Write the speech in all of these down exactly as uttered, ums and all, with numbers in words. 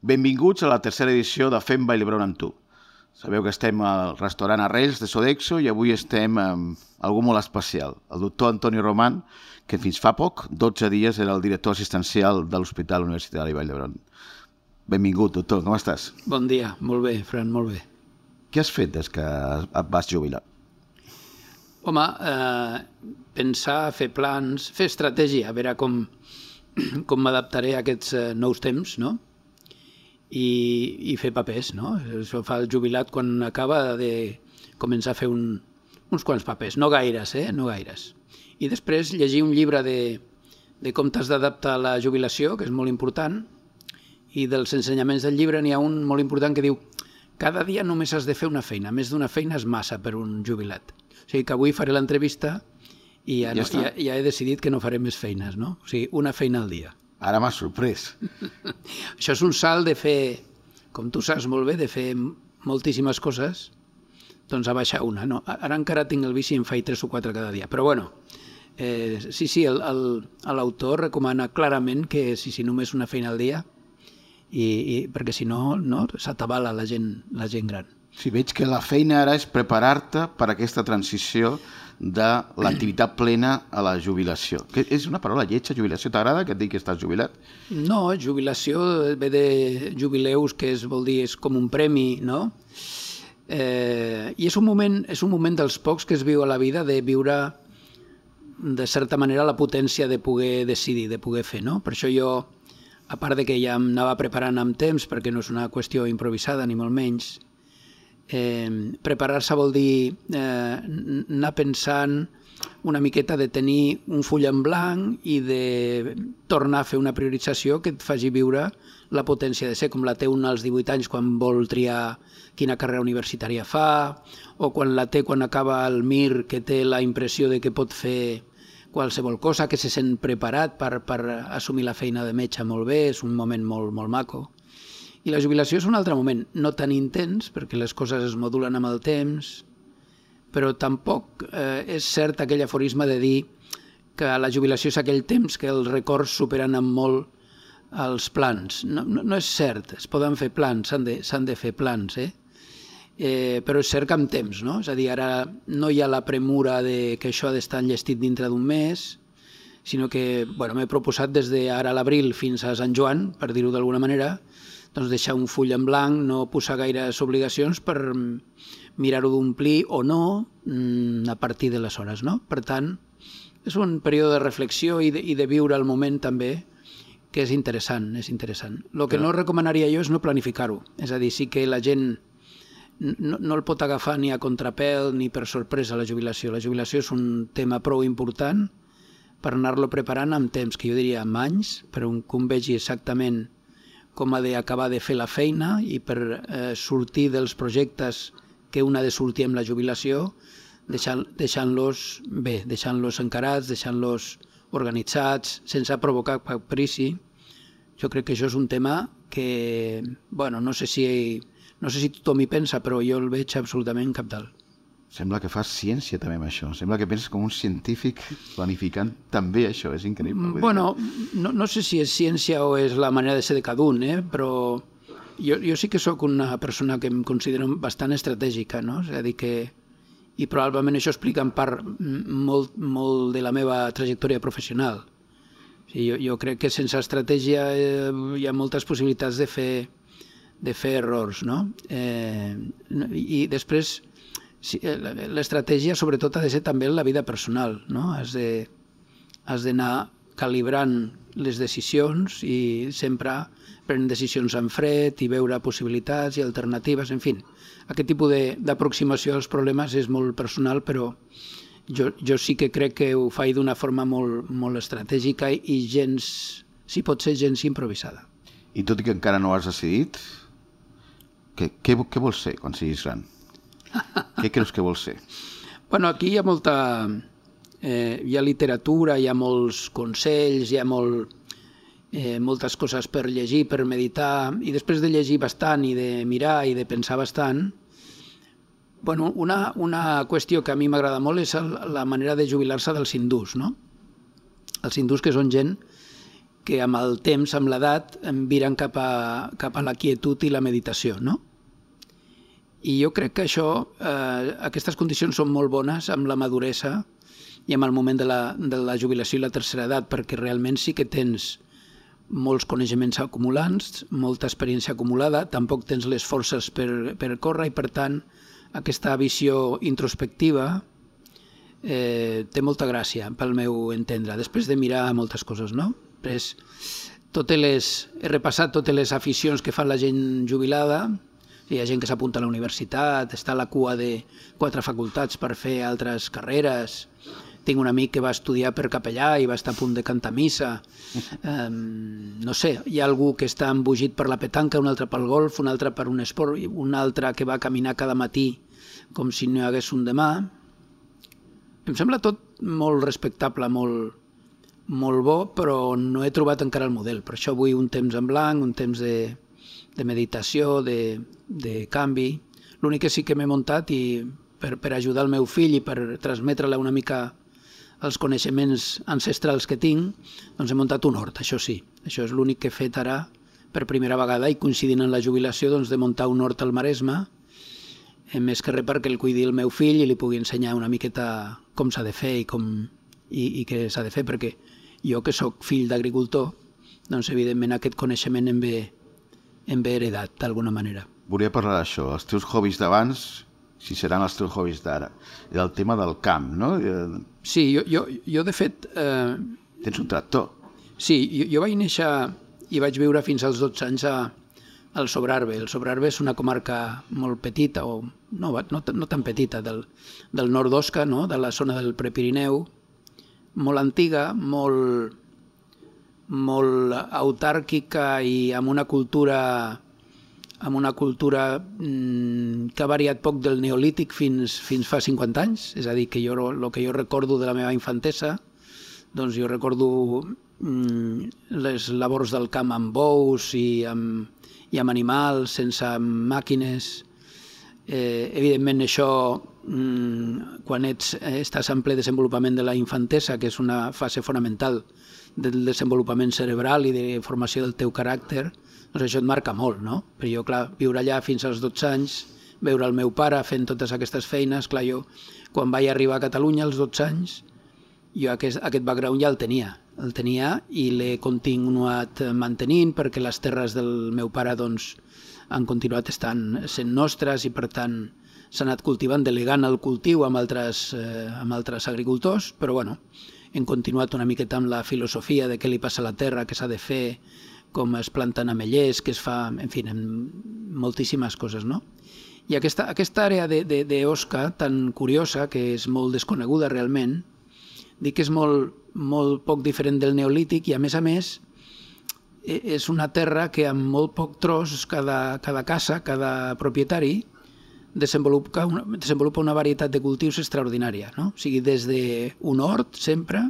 Benvinguts a la tercera edició de Fem Vall d'Hebron amb tu. Sabeu que estem al restaurant Arrels de Sodexo i avui estem amb algú molt especial, el doctor Antoni Roman, que fins fa poc, dotze dies, era el director assistencial de l'Hospital Universitari Vall d'Hebron. Benvingut, doctor, com estàs? Bon dia, molt bé, Fran, molt bé. Què has fet des que et vas jubilar? Home, eh, pensar, fer plans, fer estratègia, a veure com, com m'adaptaré a aquests eh, nous temps, no? I, i fer papers, no? Això fa el jubilat quan acaba de començar a fer un, uns quants papers, no gaires, eh? No gaires. I després llegir un llibre de, de com t'has d'adaptar a la jubilació, que és molt important, i dels ensenyaments del llibre n'hi ha un molt important que diu cada dia només has de fer una feina, més d'una feina és massa per un jubilat. O sigui que avui faré l'entrevista i ja, ja, no, ja, ja he decidit que no faré més feines, no? O sigui, una feina al dia. Ara m'has sorprès. Això és un salt de fer, com tu saps molt bé, de fer moltíssimes coses, doncs a baixar una. No, ara encara tinc el vici i en faig tres o quatre cada dia. Però bueno, eh, sí, sí, l'autor recomana clarament que sí, sí, només una feina al dia, i, i perquè si no, no s'atabala la gent, la gent gran. Sí, veig que la feina ara és preparar-te per a aquesta transició de l'activitat plena a la jubilació. Que és una paraula lletja, jubilació. T'agrada que et digui que estàs jubilat? No, jubilació ve de jubileus, que és, vol dir, és com un premi, no? Eh, I és un moment, és un moment dels pocs que es viu a la vida de viure, de certa manera, la potència de poder decidir, de poder fer, no? Per això jo, a part de que ja em anava preparant amb temps, perquè no és una qüestió improvisada, ni molt menys, Eh, preparar-se vol dir eh, anar pensant una miqueta de tenir un full en blanc i de tornar a fer una priorització que et faci viure la potència de ser, com la té un als divuit anys quan vol triar quina carrera universitària fa, o quan la té quan acaba el M I R, que té la impressió de que pot fer qualsevol cosa, que se sent preparat per, per assumir la feina de metge molt bé, és un moment molt, molt maco. I la jubilació és un altre moment, no tan intens, perquè les coses es modulen amb el temps, però tampoc eh, és cert aquell aforisme de dir que la jubilació és aquell temps que els records superen amb molt els plans. No, no, no és cert, es poden fer plans, s'han de, s'han de fer plans, eh? Eh, però és cert que amb temps, no? És a dir, ara no hi ha la premura de que això ha d'estar enllestit dintre d'un mes, sinó que bueno, m'he proposat des d'ara a l'abril fins a Sant Joan, per dir-ho d'alguna manera, doncs deixar un full en blanc, no posar gaires obligacions per mirar-ho d'omplir o no a partir de les hores, no? Per tant, és un període de reflexió i de, i de viure el moment també, que és interessant, és interessant. El que no recomanaria jo és no planificar-ho, és a dir, sí que la gent no, no el pot agafar ni a contrapèl ni per sorpresa la jubilació. La jubilació és un tema prou important per anar-lo preparant amb temps, que jo diria amb anys, però que un vegi exactament com ha d'acabar de fer la feina i per eh, sortir dels projectes que un ha de sortir amb la jubilació, deixant, deixant-los bé, deixant-los encarats, deixant-los organitzats, sense provocar caprici. Jo crec que això és un tema que, bueno, no sé si, no sé si tothom hi pensa, però jo el veig absolutament cabdal. Sembla que fas ciència també amb això. Sembla que penses com un científic planificant també això. És increïble. Bueno, no, no sé si és ciència o és la manera de ser de cada un, eh? Però jo, jo sí que sóc una persona que em considero bastant estratègica, no? És a dir que... I probablement això explica en part molt, molt de la meva trajectòria professional. O sigui, jo, jo crec que sense estratègia eh, hi ha moltes possibilitats de fer, de fer errors, no? Eh, I després... Sí, l'estratègia sobretot ha de ser també en la vida personal, no? Has de, has d'anar calibrant les decisions i sempre prenent decisions en fred i veure possibilitats i alternatives, en fi. Aquest tipus d'aproximació als problemes és molt personal, però jo, jo sí que crec que ho faig d'una forma molt, molt estratègica i gens, si pot ser, gens improvisada. I tot i que encara no has decidit, què, què, què vols ser quan siguis gran? Què creus que vols ser? Bueno, aquí hi ha molta... Eh, hi ha literatura, hi ha molts consells, hi ha molt, eh, moltes coses per llegir, per meditar, i després de llegir bastant i de mirar i de pensar bastant, bueno, una, una qüestió que a mi m'agrada molt és el, la manera de jubilar-se dels hindús, no? Els hindús, que són gent que amb el temps, amb l'edat, em viren cap a, cap a la quietud i la meditació, no? I jo crec que això, eh, aquestes condicions són molt bones amb la maduresa i amb el moment de la, de la jubilació i la tercera edat, perquè realment sí que tens molts coneixements acumulants, molta experiència acumulada, tampoc tens les forces per, per córrer i, per tant, aquesta visió introspectiva eh, té molta gràcia, pel meu entendre, després de mirar moltes coses, no? Després, totes les, he repassat totes les aficions que fa la gent jubilada. Hi ha gent que s'apunta a la universitat, està a la cua de quatre facultats per fer altres carreres. Tinc un amic que va estudiar per capellà i va estar a punt de cantar missa. Um, no sé, hi ha algú que està embogit per la petanca, un altre pel golf, un altre per un esport, un altre que va caminar cada matí com si no hi hagués un demà. Em sembla tot molt respectable, molt, molt bo, però no he trobat encara el model. Per això vull un temps en blanc, un temps de, de meditació, de, de canvi. L'únic que sí que m'he muntat i per, per ajudar el meu fill i per transmetre-li una mica els coneixements ancestrals que tinc, doncs he muntat un hort, això sí. Això és l'únic que he fet ara per primera vegada i coincidint en la jubilació doncs, de muntar un hort al Maresme, més que res perquè el cuidi el meu fill i li pugui ensenyar una miqueta com s'ha de fer i, com, i, i què s'ha de fer, perquè jo que sóc fill d'agricultor, doncs evidentment aquest coneixement em ve, em ve heredat d'alguna manera. Volia parlar d'això, els teus hobbies d'abans, si seran els teus hobbies d'ara, i del tema del camp, no? Sí, jo, jo, jo de fet... Eh... Tens un tractor. Sí, jo, jo vaig néixer i vaig viure fins als dotze anys a, al Sobrarbe. El Sobrarbe és una comarca molt petita, o no, no, no tan petita, del, del nord d'Osca, no? De la zona del Prepirineu, molt antiga, molt, molt autàrquica i amb una cultura, amb una cultura mmm, que ha variat poc del neolític fins, fins fa cinquanta anys. És a dir, que jo, el que jo recordo de la meva infantesa, doncs jo recordo mmm, les labors del camp amb bous i amb, i amb animals, sense màquines. Eh, evidentment això, mmm, quan ets, eh, estàs en ple desenvolupament de la infantesa, que és una fase fonamental del desenvolupament cerebral i de formació del teu caràcter, doncs això et marca molt, no? Però jo, clar, viure allà fins als dotze anys, veure el meu pare fent totes aquestes feines, clar, jo, quan vaig arribar a Catalunya als dotze anys, jo aquest, aquest background ja el tenia, el tenia i l'he continuat mantenint perquè les terres del meu pare, doncs, han continuat estant sent nostres i per tant s'ha anat cultivant, delegant el cultiu amb altres, eh, amb altres agricultors, però bueno, hem continuat una miqueta amb la filosofia de què li passa a la terra, què s'ha de fer, com es planten ametllers, què es fa, en fi, moltíssimes coses, no? I aquesta, aquesta àrea d'Osca tan curiosa, que és molt desconeguda realment, dic que és molt, molt poc diferent del neolític i a més a més és una terra que amb molt poc tros cada, cada casa, cada propietari desenvolupa una, desenvolupa una varietat de cultius extraordinària, no? O sigui, des d'un hort sempre,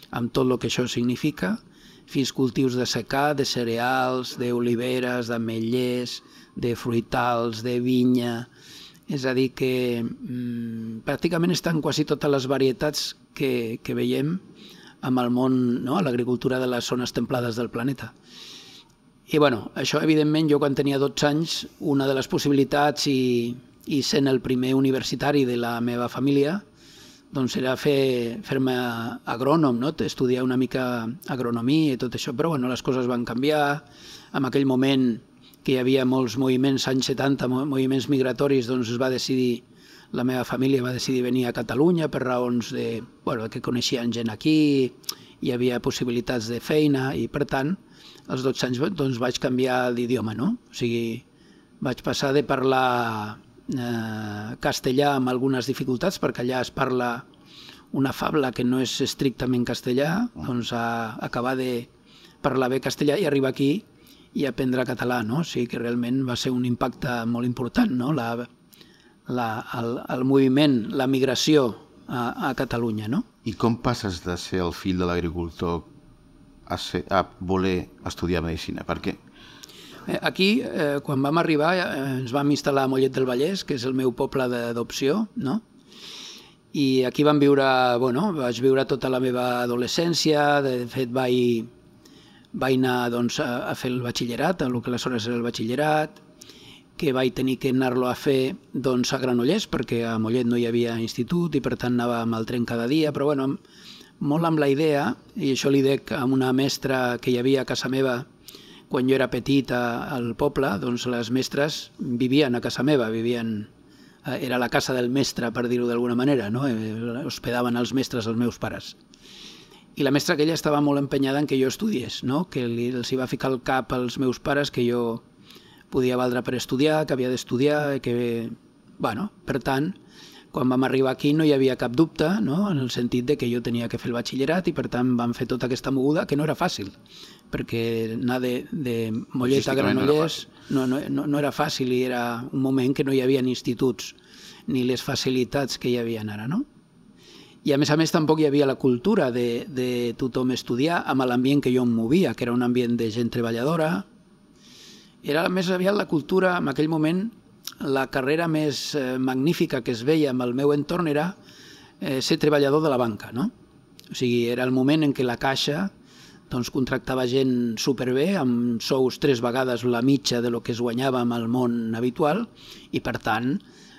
amb tot el que això significa, fins cultius de secà, de cereals, d'oliveres, d'ametllers, de fruitals, de vinya. És a dir, que mmm, pràcticament estan quasi totes les varietats que, que veiem amb el món, no? A l'agricultura de les zones templades del planeta. I bueno, això evidentment jo quan tenia dotze anys, una de les possibilitats i, i sent el primer universitari de la meva família, doncs era fer, fer-me agrònom, no? Estudiar una mica agronomia i tot això, però bueno, les coses van canviar. En aquell moment que hi havia molts moviments, anys setanta, moviments migratoris, doncs es va decidir, la meva família va decidir venir a Catalunya per raons de, bueno, que coneixien gent aquí, hi havia possibilitats de feina i per tant, als dotze anys doncs, vaig canviar d'idioma, no? O sigui, vaig passar de parlar eh, castellà amb algunes dificultats, perquè allà es parla una fabla que no és estrictament castellà, doncs a acabar de parlar bé castellà i arribar aquí i aprendre català, no? O sigui que realment va ser un impacte molt important, no? La, la, el, el moviment, la migració a, a Catalunya, no? I com passes de ser el fill de l'agricultor a, ser, a voler estudiar medicina? Per què? Aquí, eh, quan vam arribar, eh, ens vam instal·lar a Mollet del Vallès, que és el meu poble d'adopció, no? I aquí vam viure, bueno, vaig viure tota la meva adolescència, de fet vaig, vaig anar doncs, a, a fer el batxillerat, el que aleshores era el batxillerat, que vaig tenir que anar-lo a fer doncs, a Granollers, perquè a Mollet no hi havia institut i per tant anava amb el tren cada dia, però bueno, molt amb la idea, i això li dec a una mestra que hi havia a casa meva quan jo era petit a, al poble, doncs les mestres vivien a casa meva, vivien, era la casa del mestre, per dir-ho d'alguna manera, no? Hospedaven els mestres els meus pares. I la mestra aquella estava molt empenyada en que jo estudiés, no? Que li, els hi va ficar al cap als meus pares que jo podia valdre per estudiar, que havia d'estudiar, que... Bueno, per tant, quan vam arribar aquí no hi havia cap dubte, no? En el sentit de que jo tenia que fer el batxillerat i per tant vam fer tota aquesta moguda, que no era fàcil, perquè anar de, de Mollet a Granollers no, no, no, no era fàcil i era un moment que no hi havia instituts ni les facilitats que hi havia ara, no? I a més a més tampoc hi havia la cultura de, de tothom estudiar amb l'ambient que jo em movia, que era un ambient de gent treballadora. Era més aviat la cultura, en aquell moment, la carrera més eh, magnífica que es veia amb el meu entorn era eh, ser treballador de la banca, no? O sigui, era el moment en què la Caixa doncs, contractava gent superbé, amb sous tres vegades la mitja de lo que es guanyava amb el món habitual, i per tant,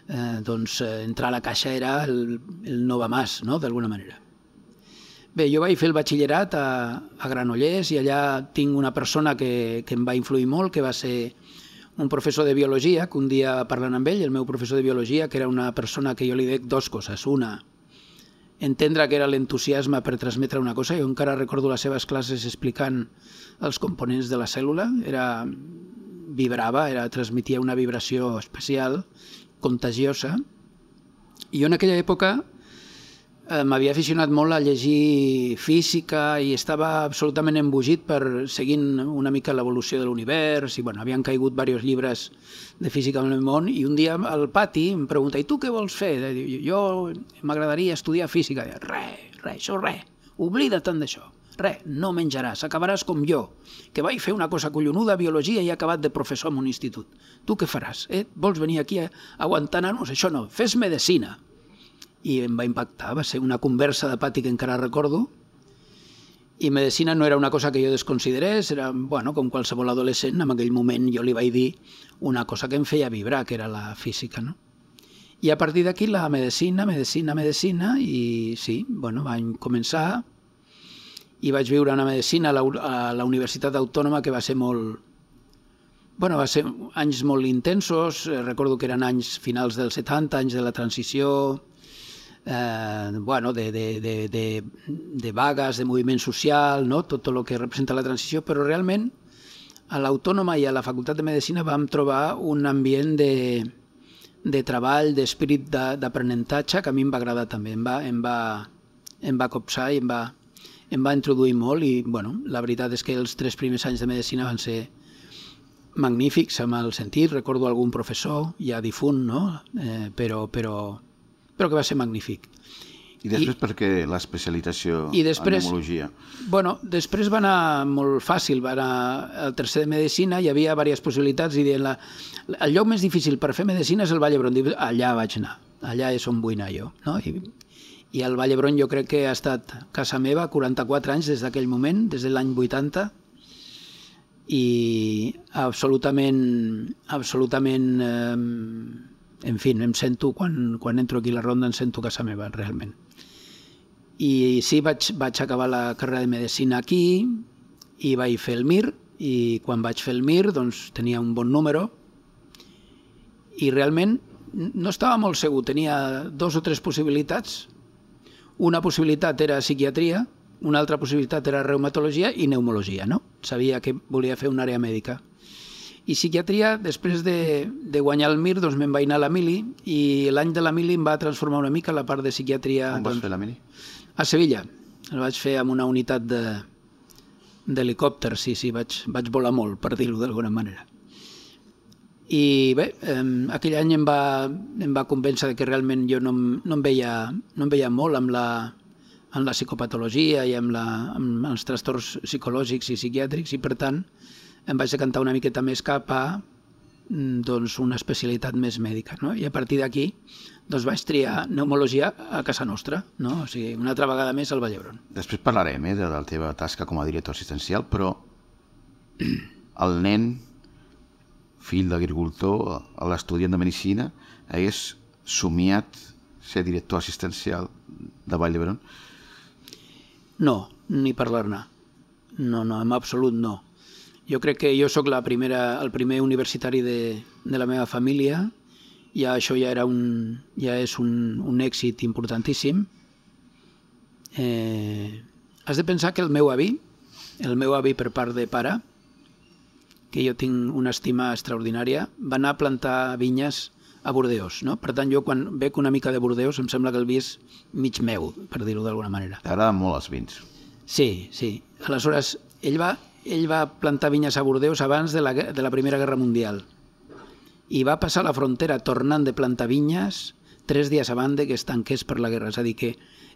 eh, doncs, entrar a la Caixa era el, el no va más, no?, d'alguna manera. Bé, jo vaig fer el batxillerat a, a Granollers i allà tinc una persona que, que em va influir molt, que va ser un professor de biologia, que un dia parlant amb ell, el meu professor de biologia, que era una persona que jo li dec dues coses. Una, entendre que era l'entusiasme per transmetre una cosa. Jo encara recordo les seves classes explicant els components de la cèl·lula. Era, vibrava, era, transmetia una vibració especial, contagiosa. I jo en aquella època m'havia aficionat molt a llegir física i estava absolutament embogit per seguint una mica l'evolució de l'univers i bueno, havien caigut diversos llibres de física en el món i un dia al pati em pregunta, i tu què vols fer? Jo m'agradaria estudiar física. Res, res, això res, oblida't tant d'això, res, no menjaràs, acabaràs com jo, que vaig fer una cosa collonuda, biologia, i he acabat de professor en un institut. Tu què faràs? Eh? Vols venir aquí a aguantar nanos? Això no, fes medicina. I em va impactar, va ser una conversa de pati que encara recordo, i medicina no era una cosa que jo desconsiderés, era, bueno, com qualsevol adolescent, en aquell moment jo li vaig dir una cosa que em feia vibrar, que era la física, no? I a partir d'aquí la medicina, medicina, medicina, i sí, bueno, vaig començar i vaig viure una medicina a la, a la Universitat Autònoma que va ser molt... Bueno, va ser anys molt intensos, recordo que eren anys finals dels setanta, anys de la transició, Eh, bueno, de, de, de, de, de vagues, de moviment social, no? Tot el que representa la transició, però realment a l'Autònoma i a la Facultat de Medicina vam trobar un ambient de, de treball, d'espírit d'aprenentatge que a mi em va agradar també, em va, em va, em va copsar i em va, em va introduir molt i bueno, la veritat és que els tres primers anys de Medicina van ser magnífics amb el sentit, recordo algun professor ja difunt, no? eh, però, però però que va ser magnífic. I després I, per què l'especialització després, en pneumologia? Bueno, després va anar molt fàcil, va anar al tercer de Medicina, hi havia diverses possibilitats i deien la, el lloc més difícil per fer Medicina és el Vall d'Hebron. Allà vaig anar, allà és on vull anar jo. No? I, I el Vall d'Hebron jo crec que ha estat casa meva quaranta-quatre anys des d'aquell moment, des de l'any vuitanta, i absolutament, absolutament... Eh, en fi, em sento, quan, quan entro aquí a la ronda, em sento casa meva, realment. I sí, vaig, vaig acabar la carrera de Medicina aquí i vaig fer el Mir, i quan vaig fer el Mir doncs, tenia un bon número i realment no estava molt segur, tenia dos o tres possibilitats. Una possibilitat era psiquiatria, una altra possibilitat era reumatologia i pneumologia, no? Sabia que volia fer una àrea mèdica. I psiquiatria, després de, de guanyar el Mir, doncs me'n vaig anar a la Mili i l'any de la Mili em va transformar una mica la part de psiquiatria. On vas doncs, fer la Mili? A Sevilla. El vaig fer amb una unitat d'helicòpter, sí, sí, vaig, vaig volar molt, per dir-ho d'alguna manera. I bé, eh, aquell any em va, em va convèncer que realment jo no, no, em veia, no em veia molt amb la, amb la psicopatologia i amb, la, amb els trastorns psicològics i psiquiàtrics i per tant em vaig decantar una miqueta més cap a doncs, una especialitat més mèdica. No? I a partir d'aquí doncs, vaig triar pneumologia a casa nostra, no? O sigui, una altra vegada més al Vall d'Hebron. Després parlarem eh, de la teva tasca com a director assistencial, però el nen, fill d'agricultor, l'estudiant de Medicina, hagués somiat ser director assistencial de Vall d'Hebron? No, ni parlar-ne. No, no, en absolut no. Jo crec que jo sóc la primera, el primer universitari de, de la meva família, i això ja, era un, ja és un, un èxit importantíssim. Eh, has de pensar que el meu avi, el meu avi per part de pare, que jo tinc una estima extraordinària, va anar a plantar vinyes a Bordeus, no? Per tant, jo quan veig una mica de Bordeus em sembla que el vi és mig meu, per dir-ho d'alguna manera. T'agraden molt els vins. Sí, sí. Aleshores, ell va, ell va plantar vinyes a Bordeus abans de la, de la Primera Guerra Mundial i va passar la frontera tornant de plantar vinyes tres dies abans que es tanqués per la guerra. És a dir, que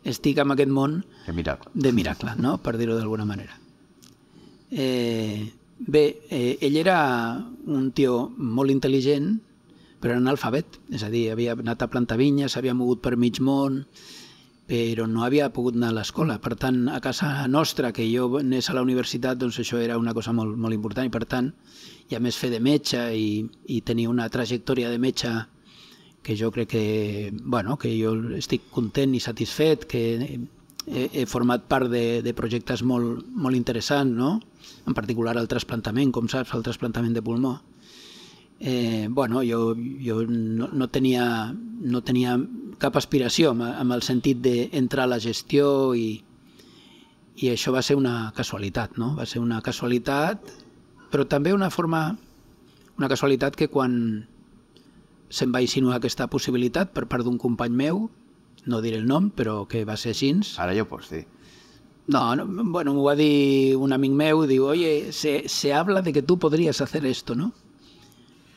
estic en aquest món de miracle, de miracle, no? Per dir-ho d'alguna manera. Eh, bé, eh, ell era un tio molt intel·ligent, però era analfabet. És a dir, havia anat a plantar vinyes, s'havia mogut per mig món, però no havia pogut anar a l'escola. Per tant, a casa nostra, que jo anés a la universitat, doncs això era una cosa molt, molt important, i per tant, i a més fer de metge i, i tenir una trajectòria de metge que jo crec que, bueno, que jo estic content i satisfet, que he, he format part de, de projectes molt, molt interessants, no? En particular el trasplantament, com saps, el trasplantament de pulmó. Eh, bueno, jo, jo no, no, tenia, no tenia cap aspiració amb, amb el sentit d'entrar a la gestió, i, i això va ser una casualitat, no? Va ser una casualitat, però també una forma, una casualitat que quan se'm va insinuar aquesta possibilitat per part d'un company meu, no diré el nom, però que va ser així. Ara ja ho pots dir. No, no, bueno, m'ho va dir un amic meu, diu, oye, se, se habla de que tu podries hacer esto, ¿no?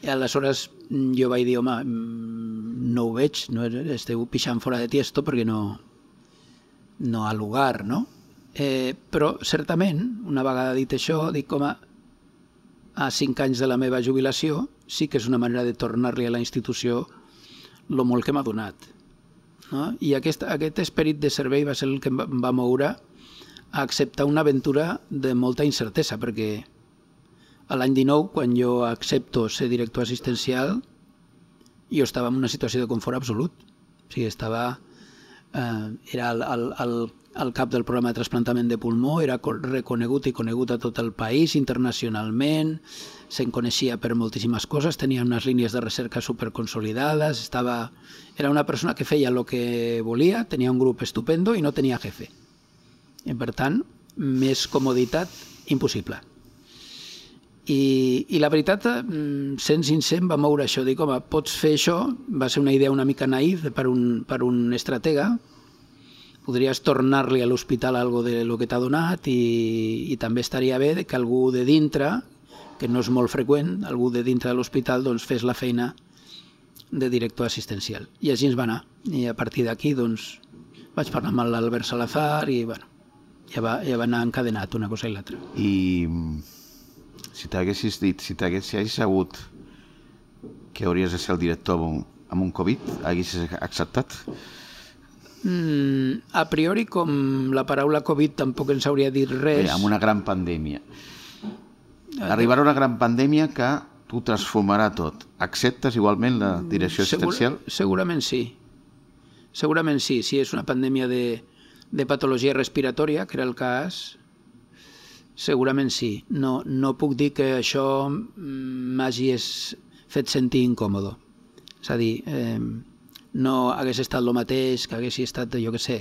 I aleshores jo vaig dir, home, no ho veig, no esteu pixant fora de tiesto perquè no, no ha lugar, no? Eh, però certament, una vegada dit això, dic, home, a cinc anys de la meva jubilació sí que és una manera de tornar-li a la institució el molt que m'ha donat, no? I aquest, aquest esperit de servei va ser el que em va moure a acceptar una aventura de molta incertesa, perquè a l'any dinou, quan jo accepto ser director assistencial, jo estava en una situació de confort absolut. O sigui, estava... Eh, era el, el, el, el cap del programa de trasplantament de pulmó, era reconegut i conegut a tot el país, internacionalment, se'n coneixia per moltíssimes coses, tenia unes línies de recerca superconsolidades, estava... era una persona que feia el que volia, tenia un grup estupendo i no tenia jefe. I, per tant, més comoditat impossible. I, i la veritat, sent sincer, em va moure això. Dic, home, pots fer això? Va ser una idea una mica naïf per un, per un estratega. Podries tornar-li a l'hospital algo de lo que t'ha donat, i, i també estaria bé que algú de dintre, que no és molt freqüent, algú de dintre de l'hospital doncs, fes la feina de director assistencial. I així ens va anar. I a partir d'aquí doncs, vaig parlar amb l'Albert Salazar i bueno, ja, va, ja va anar encadenat una cosa i l'altra. I si t'haguessis dit, si t'haguessis sabut que hauries de ser el director amb un, amb un Covid, haguessis acceptat? Mm, a priori, com la paraula Covid tampoc ens hauria dit res... Bé, amb una gran pandèmia. Arribarà una gran pandèmia que t'ho transformarà tot. Acceptes igualment la direcció assistencial? Segur, segurament sí. Segurament sí. Si és una pandèmia de, de patologia respiratòria, que era el cas... Segurament sí. No, no puc dir que això m'hagi fet sentir incòmodo. És a dir, eh, no hagués estat el mateix que hagués estat, jo què sé,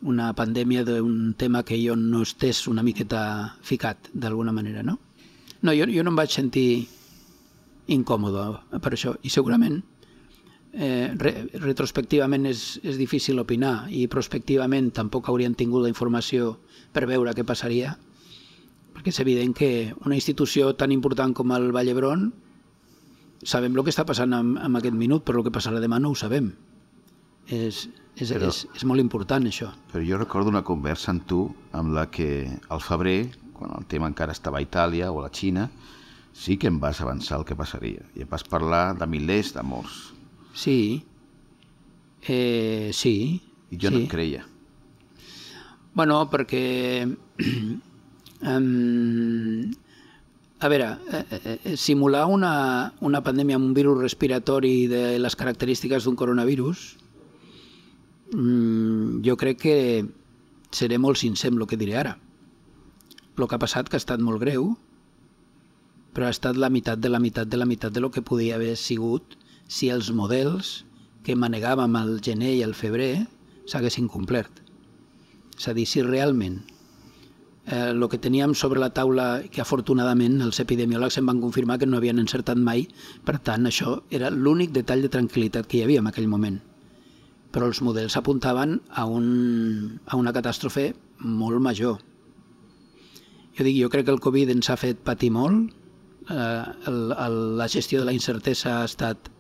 una pandèmia d'un tema que jo no estés una miqueta ficat, d'alguna manera, no? No, jo, jo no em vaig sentir incòmode per això. I segurament, eh, re, retrospectivament és, és difícil opinar, i prospectivament tampoc haurien tingut la informació per veure què passaria, perquè és evident que una institució tan important com el Vall d'Hebron sabem el que està passant en, en aquest minut, però el que passarà demà no ho sabem. És, és, però, és, és molt important això. Però jo recordo una conversa amb tu amb la que al febrer, quan el tema encara estava a Itàlia o a la Xina, sí que em vas avançar el que passaria i em vas parlar de milers de morts. Sí, eh, sí. I jo sí. no et creia. Bueno, perquè... Um, A veure, eh, simular una, una pandèmia amb un virus respiratori de les característiques d'un coronavirus, mmm, jo crec que seré molt sincer amb el que diré ara. El que ha passat que ha estat molt greu, però ha estat la meitat de la meitat de la meitat de lo que podia haver sigut si els models que manegàvem al gener i al febrer s'haguessin complert. És a dir, si realment el eh, que teníem sobre la taula, que afortunadament els epidemiòlegs em van confirmar que no havien encertat mai, per tant això era l'únic detall de tranquil·litat que hi havia en aquell moment. Però els models apuntaven a, un, a una catàstrofe molt major. Jo dic, jo crec que el Covid ens ha fet patir molt, eh, el, el, la gestió de la incertesa ha estat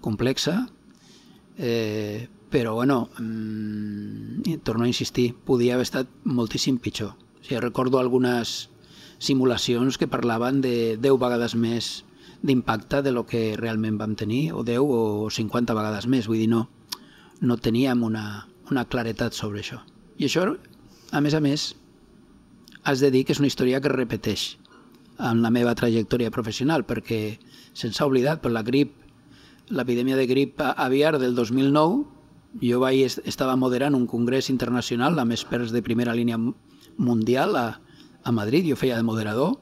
complexa, eh, però bueno, mm, torno a insistir, podia haver estat moltíssim pitjor. O sigui, recordo algunes simulacions que parlaven de deu vegades més d'impacte de lo que realment vam tenir, o deu o cinquanta vegades més, vull dir, no, no teníem una, una claretat sobre això. I això, a més a més, has de dir que és una història que es repeteix en la meva trajectòria professional, perquè se'ns ha oblidat, per la grip, l'epidèmia de grip aviar del dos mil nou, jo vaig, estava moderant un congrés internacional amb experts de primera línia mundial a, a Madrid, jo feia de moderador,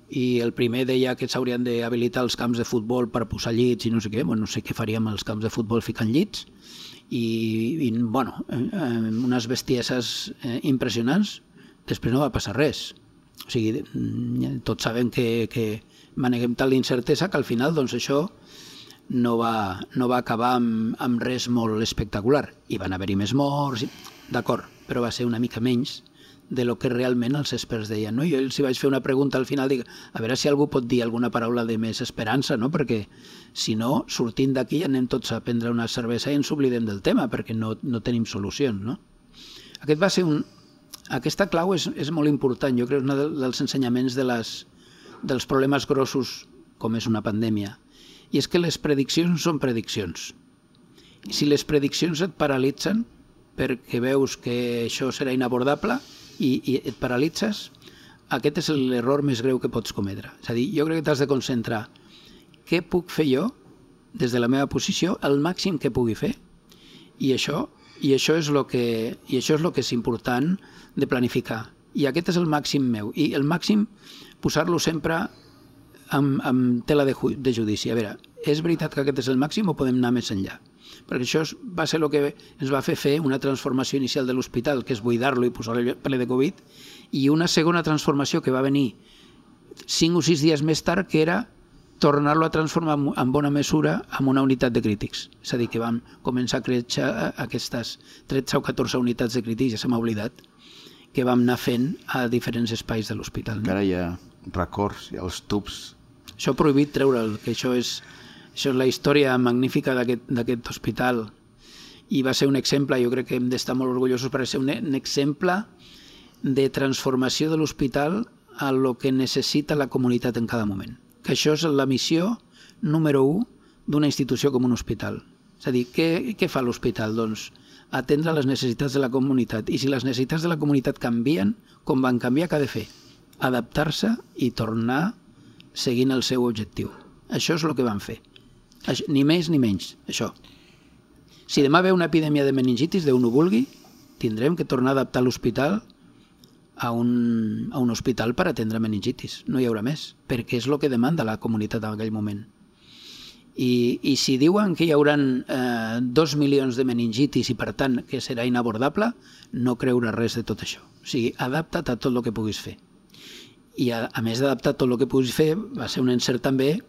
i el primer deia que s'haurien d'habilitar els camps de futbol per posar llits i no sé què, bueno, no sé què faríem als camps de futbol ficant llits, i, i bueno, eh, unes bestieses eh, impressionants. Després no va passar res. O sigui, tots sabem que, que maneguem tal incertesa que al final doncs això no va, no va acabar amb, amb res molt espectacular. I van haver-hi més morts, d'acord, però va ser una mica menys de lo que realment els experts deien. No? Jo els vaig fer una pregunta al final, dic, a veure si algú pot dir alguna paraula de més esperança, no? Perquè si no, sortint d'aquí anem tots a prendre una cervesa i ens oblidem del tema, perquè no, no tenim solucions. No? Aquest va ser un... Aquesta clau és, és molt important, jo crec que és un dels ensenyaments de les, dels problemes grossos com és una pandèmia. I és que les prediccions són prediccions. I si les prediccions et paralitzen perquè veus que això serà inabordable i, i et paralitzes, aquest és l'error més greu que pots cometre. És a dir, jo crec que t'has de concentrar què puc fer jo des de la meva posició, el màxim que pugui fer, i això, i això és el que, i això és el que és important de planificar. I aquest és el màxim meu. I el màxim, posar-lo sempre amb, amb tela de, de judici. A veure, és veritat que aquest és el màxim o podem anar més enllà? Perquè això va ser el que ens va fer fer una transformació inicial de l'hospital, que és buidar-lo i posar-lo ple de Covid, i una segona transformació que va venir cinc o sis dies més tard, que era tornar-lo a transformar en bona mesura en una unitat de crítics. És a dir, que vam començar a créixer aquestes tretze o catorze unitats de crítics, ja se m'ha oblidat, que vam anar fent a diferents espais de l'hospital. No? Encara hi ha records, hi ha els tubs. Això prohibit treure'l, que això és... Això és la història magnífica d'aquest hospital i va ser un exemple, jo crec que hem d'estar molt orgullosos per ser un, un exemple de transformació de l'hospital a lo que necessita la comunitat en cada moment. Que això és la missió número u d'una institució com un hospital. És a dir, què, què fa l'hospital? Doncs atendre les necessitats de la comunitat. I si les necessitats de la comunitat canvien, com van canviar, què ha de fer? Adaptar-se i tornar seguint el seu objectiu. Això és el que van fer. Ni més ni menys, això. Si demà ve una epidèmia de meningitis, Déu no vulgui, tindrem que tornar a adaptar l'hospital a un, a un hospital per atendre meningitis. No hi haurà més, perquè és el que demanda la comunitat en aquell moment. I, i si diuen que hi haurà eh, dos milions de meningitis i per tant que serà inabordable, no creure res de tot això. O sigui, adapta't a tot el que puguis fer. I a, a més d'adaptar tot el que puguis fer, va ser un encert també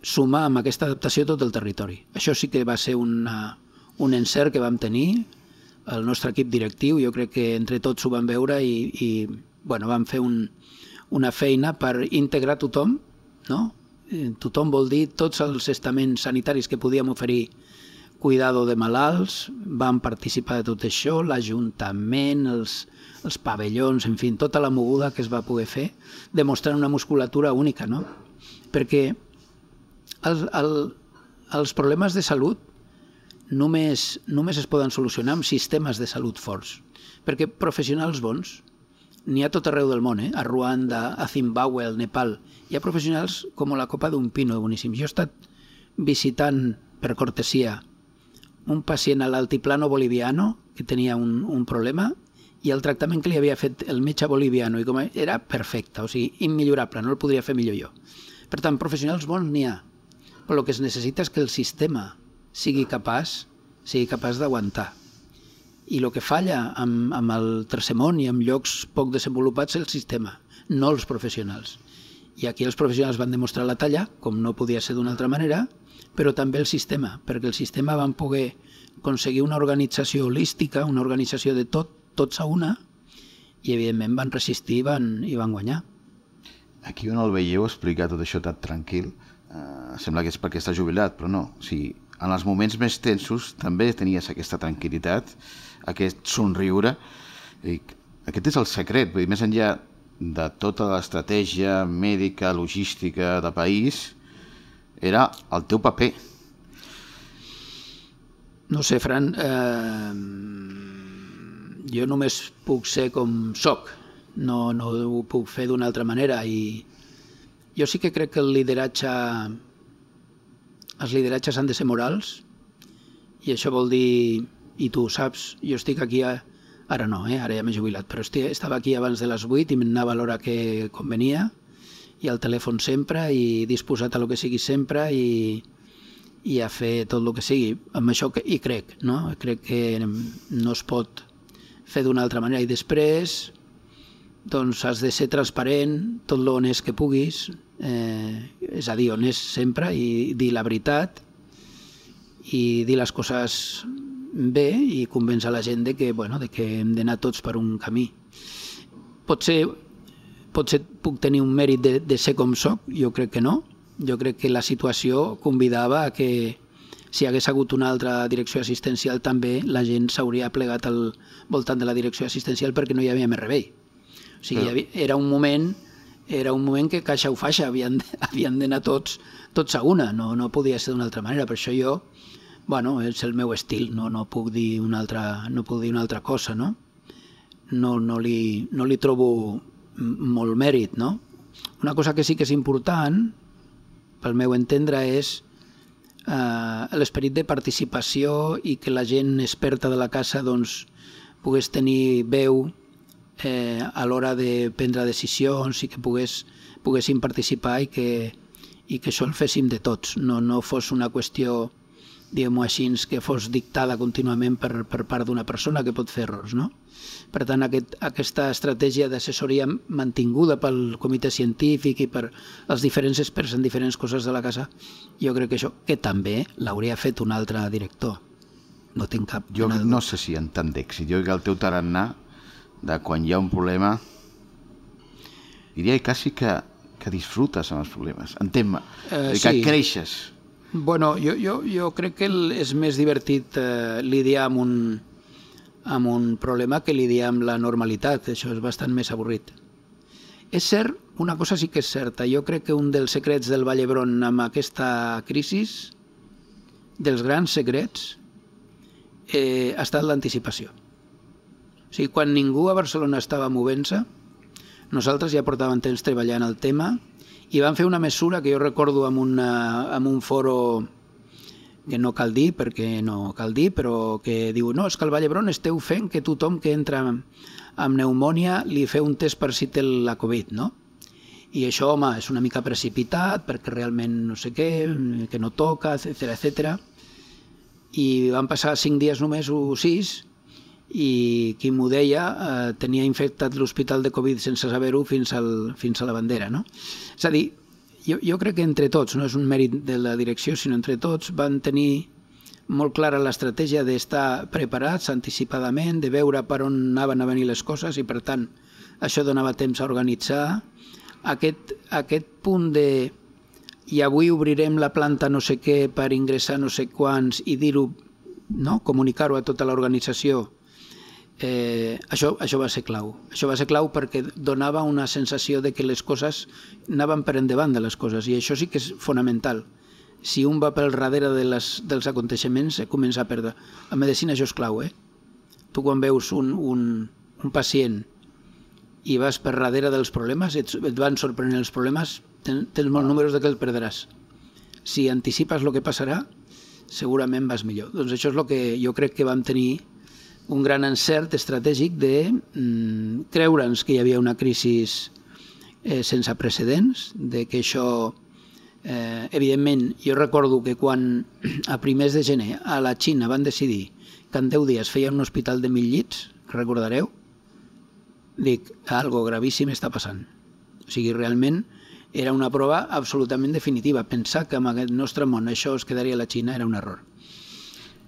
sumar amb aquesta adaptació tot el territori. Això sí que va ser una, un encert que vam tenir, el nostre equip directiu, jo crec que entre tots ho vam veure i, i bueno, vam fer un, una feina per integrar tothom, no? Tothom vol dir tots els estaments sanitaris que podíem oferir cuidado de malalts, van participar de tot això, l'Ajuntament, els, els pavellons, en fi, tota la moguda que es va poder fer, demostrant una musculatura única, no? Perquè El, el, els problemes de salut només, només es poden solucionar amb sistemes de salut forts, perquè professionals bons n'hi ha tot arreu del món, eh? A Ruanda, a Zimbabue, al Nepal. Hi ha professionals com la copa d'un pino, boníssim. Jo he estat visitant, per cortesia, un pacient a l'altiplano boliviano que tenia un, un problema i el tractament que li havia fet el metge boliviano i com a, era perfecte, o sigui, immillorable, no el podria fer millor jo. Per tant, professionals bons n'hi ha, però el que es necessita és que el sistema sigui capaç, sigui capaç d'aguantar. I el que falla amb, amb el tercer món i amb llocs poc desenvolupats és el sistema, no els professionals. I aquí els professionals van demostrar la talla, com no podia ser d'una altra manera, però també el sistema, perquè el sistema van poder aconseguir una organització holística, una organització de tot, tots a una, i evidentment van resistir i van, i van guanyar. Aquí on el veieu explicar tot això tan tranquil, eh, sembla que és perquè està jubilat, però no. O sigui, en els moments més tensos també tenies aquesta tranquil·litat, aquest somriure. I aquest és el secret, vull dir, més enllà de tota l'estratègia mèdica, logística de país, era el teu paper. No sé, Fran, eh, jo només puc ser com soc, no, no ho puc fer d'una altra manera, i jo sí que crec que el lideratge, els lideratges han de ser morals, i això vol dir, i tu ho saps, jo estic aquí, a, ara no, eh, ara ja m'he jubilat, però estic, estava aquí abans de les vuit i m'anava a l'hora que convenia, i al telèfon sempre, i disposat a lo que sigui sempre, i, i a fer tot el que sigui. Amb això que, hi crec, no? Crec que no es pot fer d'una altra manera. I després, doncs, has de ser transparent, tot l'honest que puguis, eh, és a dir, honest sempre, i dir la veritat, i dir les coses bé, i convèncer la gent de que, bueno, de que hem d'anar tots per un camí. Potser Potser puc tenir un mèrit de, de ser com soc, jo crec que no. Jo crec que la situació convidava a que si hi hagués hagut una altra direcció assistencial també la gent s'hauria plegat al voltant de la direcció assistencial perquè no hi havia més remei. O sigui, hi havia, era un moment era un moment que caixa o faixa havien, havien d'anar tots, tots a una, no, no podia ser d'una altra manera. Per això jo, bueno, és el meu estil, no, no puc dir una altra, no puc dir una altra cosa, no? No, no, li, no li trobo molt mèrit, no? Una cosa que sí que és important, pel meu entendre, és eh, l'esperit de participació i que la gent experta de la casa doncs, pogués tenir veu eh, a l'hora de prendre decisions i que pogués, poguessin participar i que, i que això el féssim de tots, no, no fos una qüestió, diguem-ho així, que fos dictada contínuament per, per part d'una persona que pot fer errors, no? Per tant, aquest, aquesta estratègia d'assessoria mantinguda pel comitè científic i per els diferents experts en diferents coses de la casa, jo crec que això, que també l'hauria fet un altre director. No tinc cap... Jo no sé si en tant d'èxit. Jo crec que el teu tarannà, de quan hi ha un problema, diria quasi que, que disfrutes amb els problemes. Entén-me, eh, que sí. Creixes. Bueno, jo, jo, jo crec que és més divertit eh, lidiar amb un amb un problema que lidiar amb la normalitat, això és bastant més avorrit. És cert, una cosa sí que és certa, jo crec que un dels secrets del Vall d'Hebron amb aquesta crisi, dels grans secrets, eh, ha estat l'anticipació. O sigui, quan ningú a Barcelona estava movent-se, nosaltres ja portàvem temps treballant el tema i vam fer una mesura que jo recordo amb, una, amb un foro que no cal dir, perquè no cal dir, però que diu, no, és que al Vall d'Hebron esteu fent que tothom que entra amb pneumònia li feu un test per si té la Covid, no? I això, home, és una mica precipitat, perquè realment no sé què, que no toca, etcètera, etcètera. I van passar cinc dies només o sis, i qui m'ho deia eh, tenia infectat l'hospital de Covid sense saber-ho fins, al, fins a la bandera, no? És a dir, Jo, jo crec que entre tots, no és un mèrit de la direcció, sinó entre tots, van tenir molt clara l'estratègia d'estar preparats anticipadament, de veure per on anaven a venir les coses i, per tant, això donava temps a organitzar. Aquest, aquest punt de i avui obrirem la planta no sé què per ingressar no sé quants i dir-ho, no? Comunicar-ho a tota l'organització, Eh, això, això va ser clau. Això va ser clau perquè donava una sensació de que les coses anaven per endavant de les coses, i això sí que és fonamental. Si un va pel darrere de les, dels aconteixements, eh, comença a perdre. A medicina això és clau, eh? Tu quan veus un, un, un pacient i vas per darrere dels problemes, et, et van sorprenent els problemes, ten, tens molts números de que el perdràs. Si anticipes el que passarà, segurament vas millor. Doncs això és el que jo crec que vam tenir un gran encert estratègic de mm, creure'ns que hi havia una crisi eh, sense precedents, de que això, eh, evidentment, jo recordo que quan a primers de gener a la Xina van decidir que en deu dies feien un hospital de mil llits, recordareu? Dic, algo gravíssim està passant. O sigui, realment era una prova absolutament definitiva. Pensar que en aquest nostre món això es quedaria a la Xina era un error.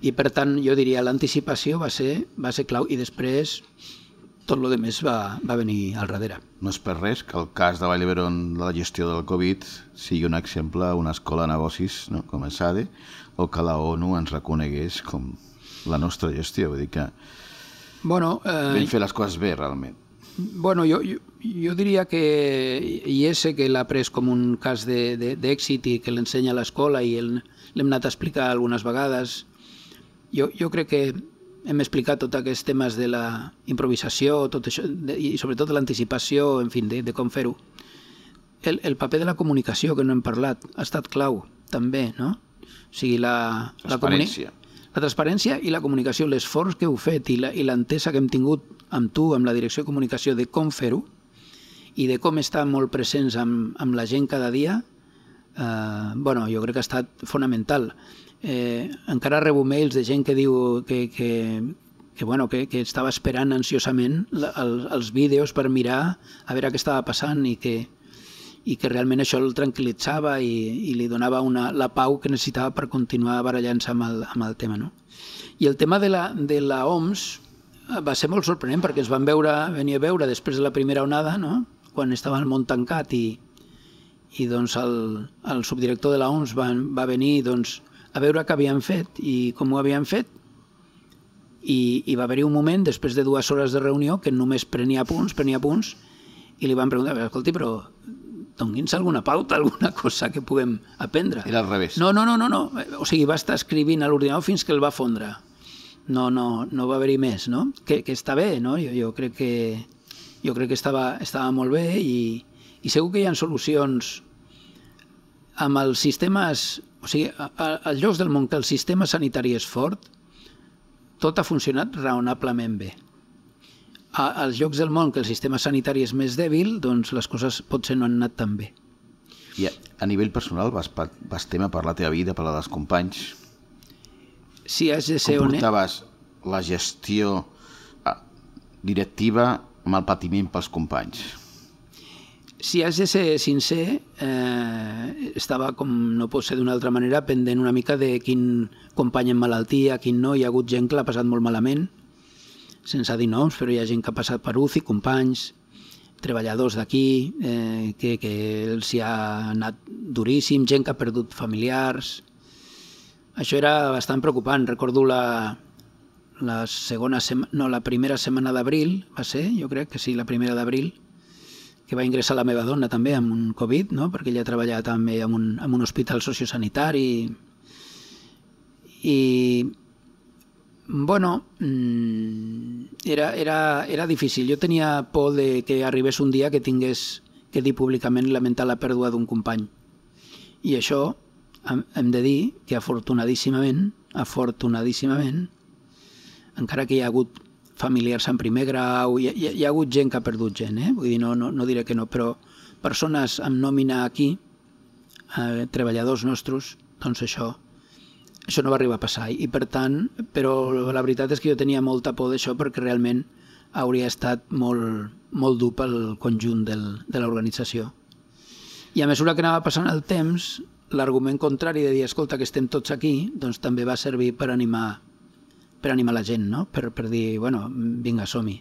I per tant, jo diria, l'anticipació va ser, va ser clau i després tot el més va, va venir al darrere. No és per res que el cas de Vall d'Hebron de la gestió del Covid sigui un exemple, una escola de negocis, no? Com a S A D E, o que la ONU ens reconegués com la nostra gestió. Vull dir que bueno, eh, vam fer les coses bé, realment. Bueno, jo, jo, jo diria que I S, que l'ha pres com un cas d'èxit i que l'ensenya a l'escola i l'hem anat a explicar algunes vegades. Jo, jo crec que hem explicat tots aquests temes de la improvisació tot això, de, i sobretot l'anticipació, en fi, de, de com fer-ho. El, el paper de la comunicació, que no hem parlat, ha estat clau, també, no? O sigui, la, transparència. La, la transparència i la comunicació, l'esforç que heu fet i l'entesa que hem tingut amb tu, amb la direcció de comunicació, de com fer-ho i de com estar molt presents amb, amb la gent cada dia, eh, bueno, jo crec que ha estat fonamental. Eh, encara rebo mails de gent que diu que, que, que, bueno, que, que estava esperant ansiosament la, el, els vídeos per mirar a veure què estava passant i que, i que realment això el tranquil·litzava i, i li donava una, la pau que necessitava per continuar barallant-se amb, el, amb el tema. No? I el tema de la, de la O M S va ser molt sorprenent perquè ens van veure, venir a veure després de la primera onada, no? Quan estava el món tancat i, i doncs el, el subdirector de la O M S va, va venir doncs, a veure què havien fet i com ho havien fet i, i va haver-hi un moment després de dues hores de reunió que només prenia punts, prenia punts i li van preguntar, escolti, però doni'ns alguna pauta, alguna cosa que puguem aprendre. Era al revés. No, no, no, no, no. O sigui, va estar escrivint a l'ordinador fins que el va fondre. No, no, no va haver-hi més, no? Que, que està bé, no? Jo, jo crec que, jo crec que estava, estava molt bé i, i segur que hi ha solucions amb els sistemes. O sigui, als llocs del món que el sistema sanitari és fort, tot ha funcionat raonablement bé. Als llocs del món que el sistema sanitari és més dèbil, doncs les coses potser no han anat tan bé. I a, a nivell personal vas, vas tema per la teva vida, per la dels companys? Si has de ser com portaves la gestió directiva amb el patiment pels companys? Si has de ser sincer, eh, estava, com no pot ser d'una altra manera, pendent una mica de quin company en malaltia, quin no. Hi ha hagut gent que l'ha passat molt malament, sense dir noms, però hi ha gent que ha passat per U C I, companys, treballadors d'aquí, eh, que, que els hi ha anat duríssim, gent que ha perdut familiars. Això era bastant preocupant. Recordo la, la segona sema, no, la primera setmana d'abril, va ser, jo crec que sí, la primera d'abril, que va ingressar la meva dona també amb un Covid, no? Perquè ella treballava també en un, en un hospital sociosanitari i, bueno, era, era, era difícil. Jo tenia por de que arribés un dia que tingués que dir públicament lamentar la pèrdua d'un company. I això hem de dir que afortunadíssimament, afortunadíssimament, encara que hi ha hagut familiars en primer grau, hi ha, hi ha hagut gent que ha perdut gent, eh? Vull dir, no, no, no diré que no, però persones amb nòmina aquí, eh, treballadors nostres, doncs això, això no va arribar a passar. I per tant, però la veritat és que jo tenia molta por d'això perquè realment hauria estat molt, molt dur pel conjunt del, de l'organització. I a mesura que anava passant el temps, l'argument contrari de dir, escolta, que estem tots aquí, doncs també va servir per animar per animar la gent, no? Per, per dir, bueno, vinga, som-hi.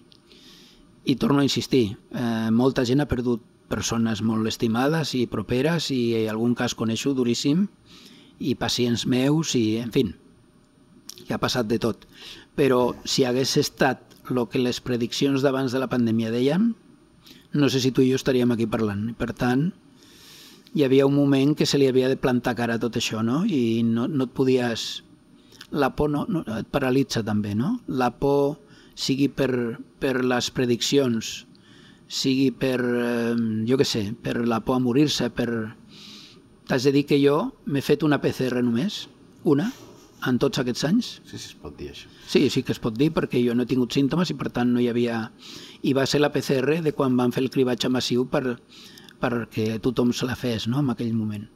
I torno a insistir, eh, molta gent ha perdut persones molt estimades i properes i en algun cas coneixo duríssim i pacients meus i, en fi, que ha passat de tot. Però si hagués estat el que les prediccions d'abans de la pandèmia deien, no sé si tu i jo estaríem aquí parlant. Per tant, hi havia un moment que se li havia de plantar cara a tot això, no? I no, no et podies... La por no, no, et paralitza també, no? La por sigui per, per les prediccions, sigui per, eh, jo què sé, per la por a morir-se, per... T'has de dir que jo m'he fet una P C R només, una, en tots aquests anys. Sí, sí, es pot dir això. Sí, sí que es pot dir, perquè jo no he tingut símptomes i per tant no hi havia... I va ser la P C R de quan van fer el cribatge massiu per, perquè tothom se la fes, no?, en aquell moment.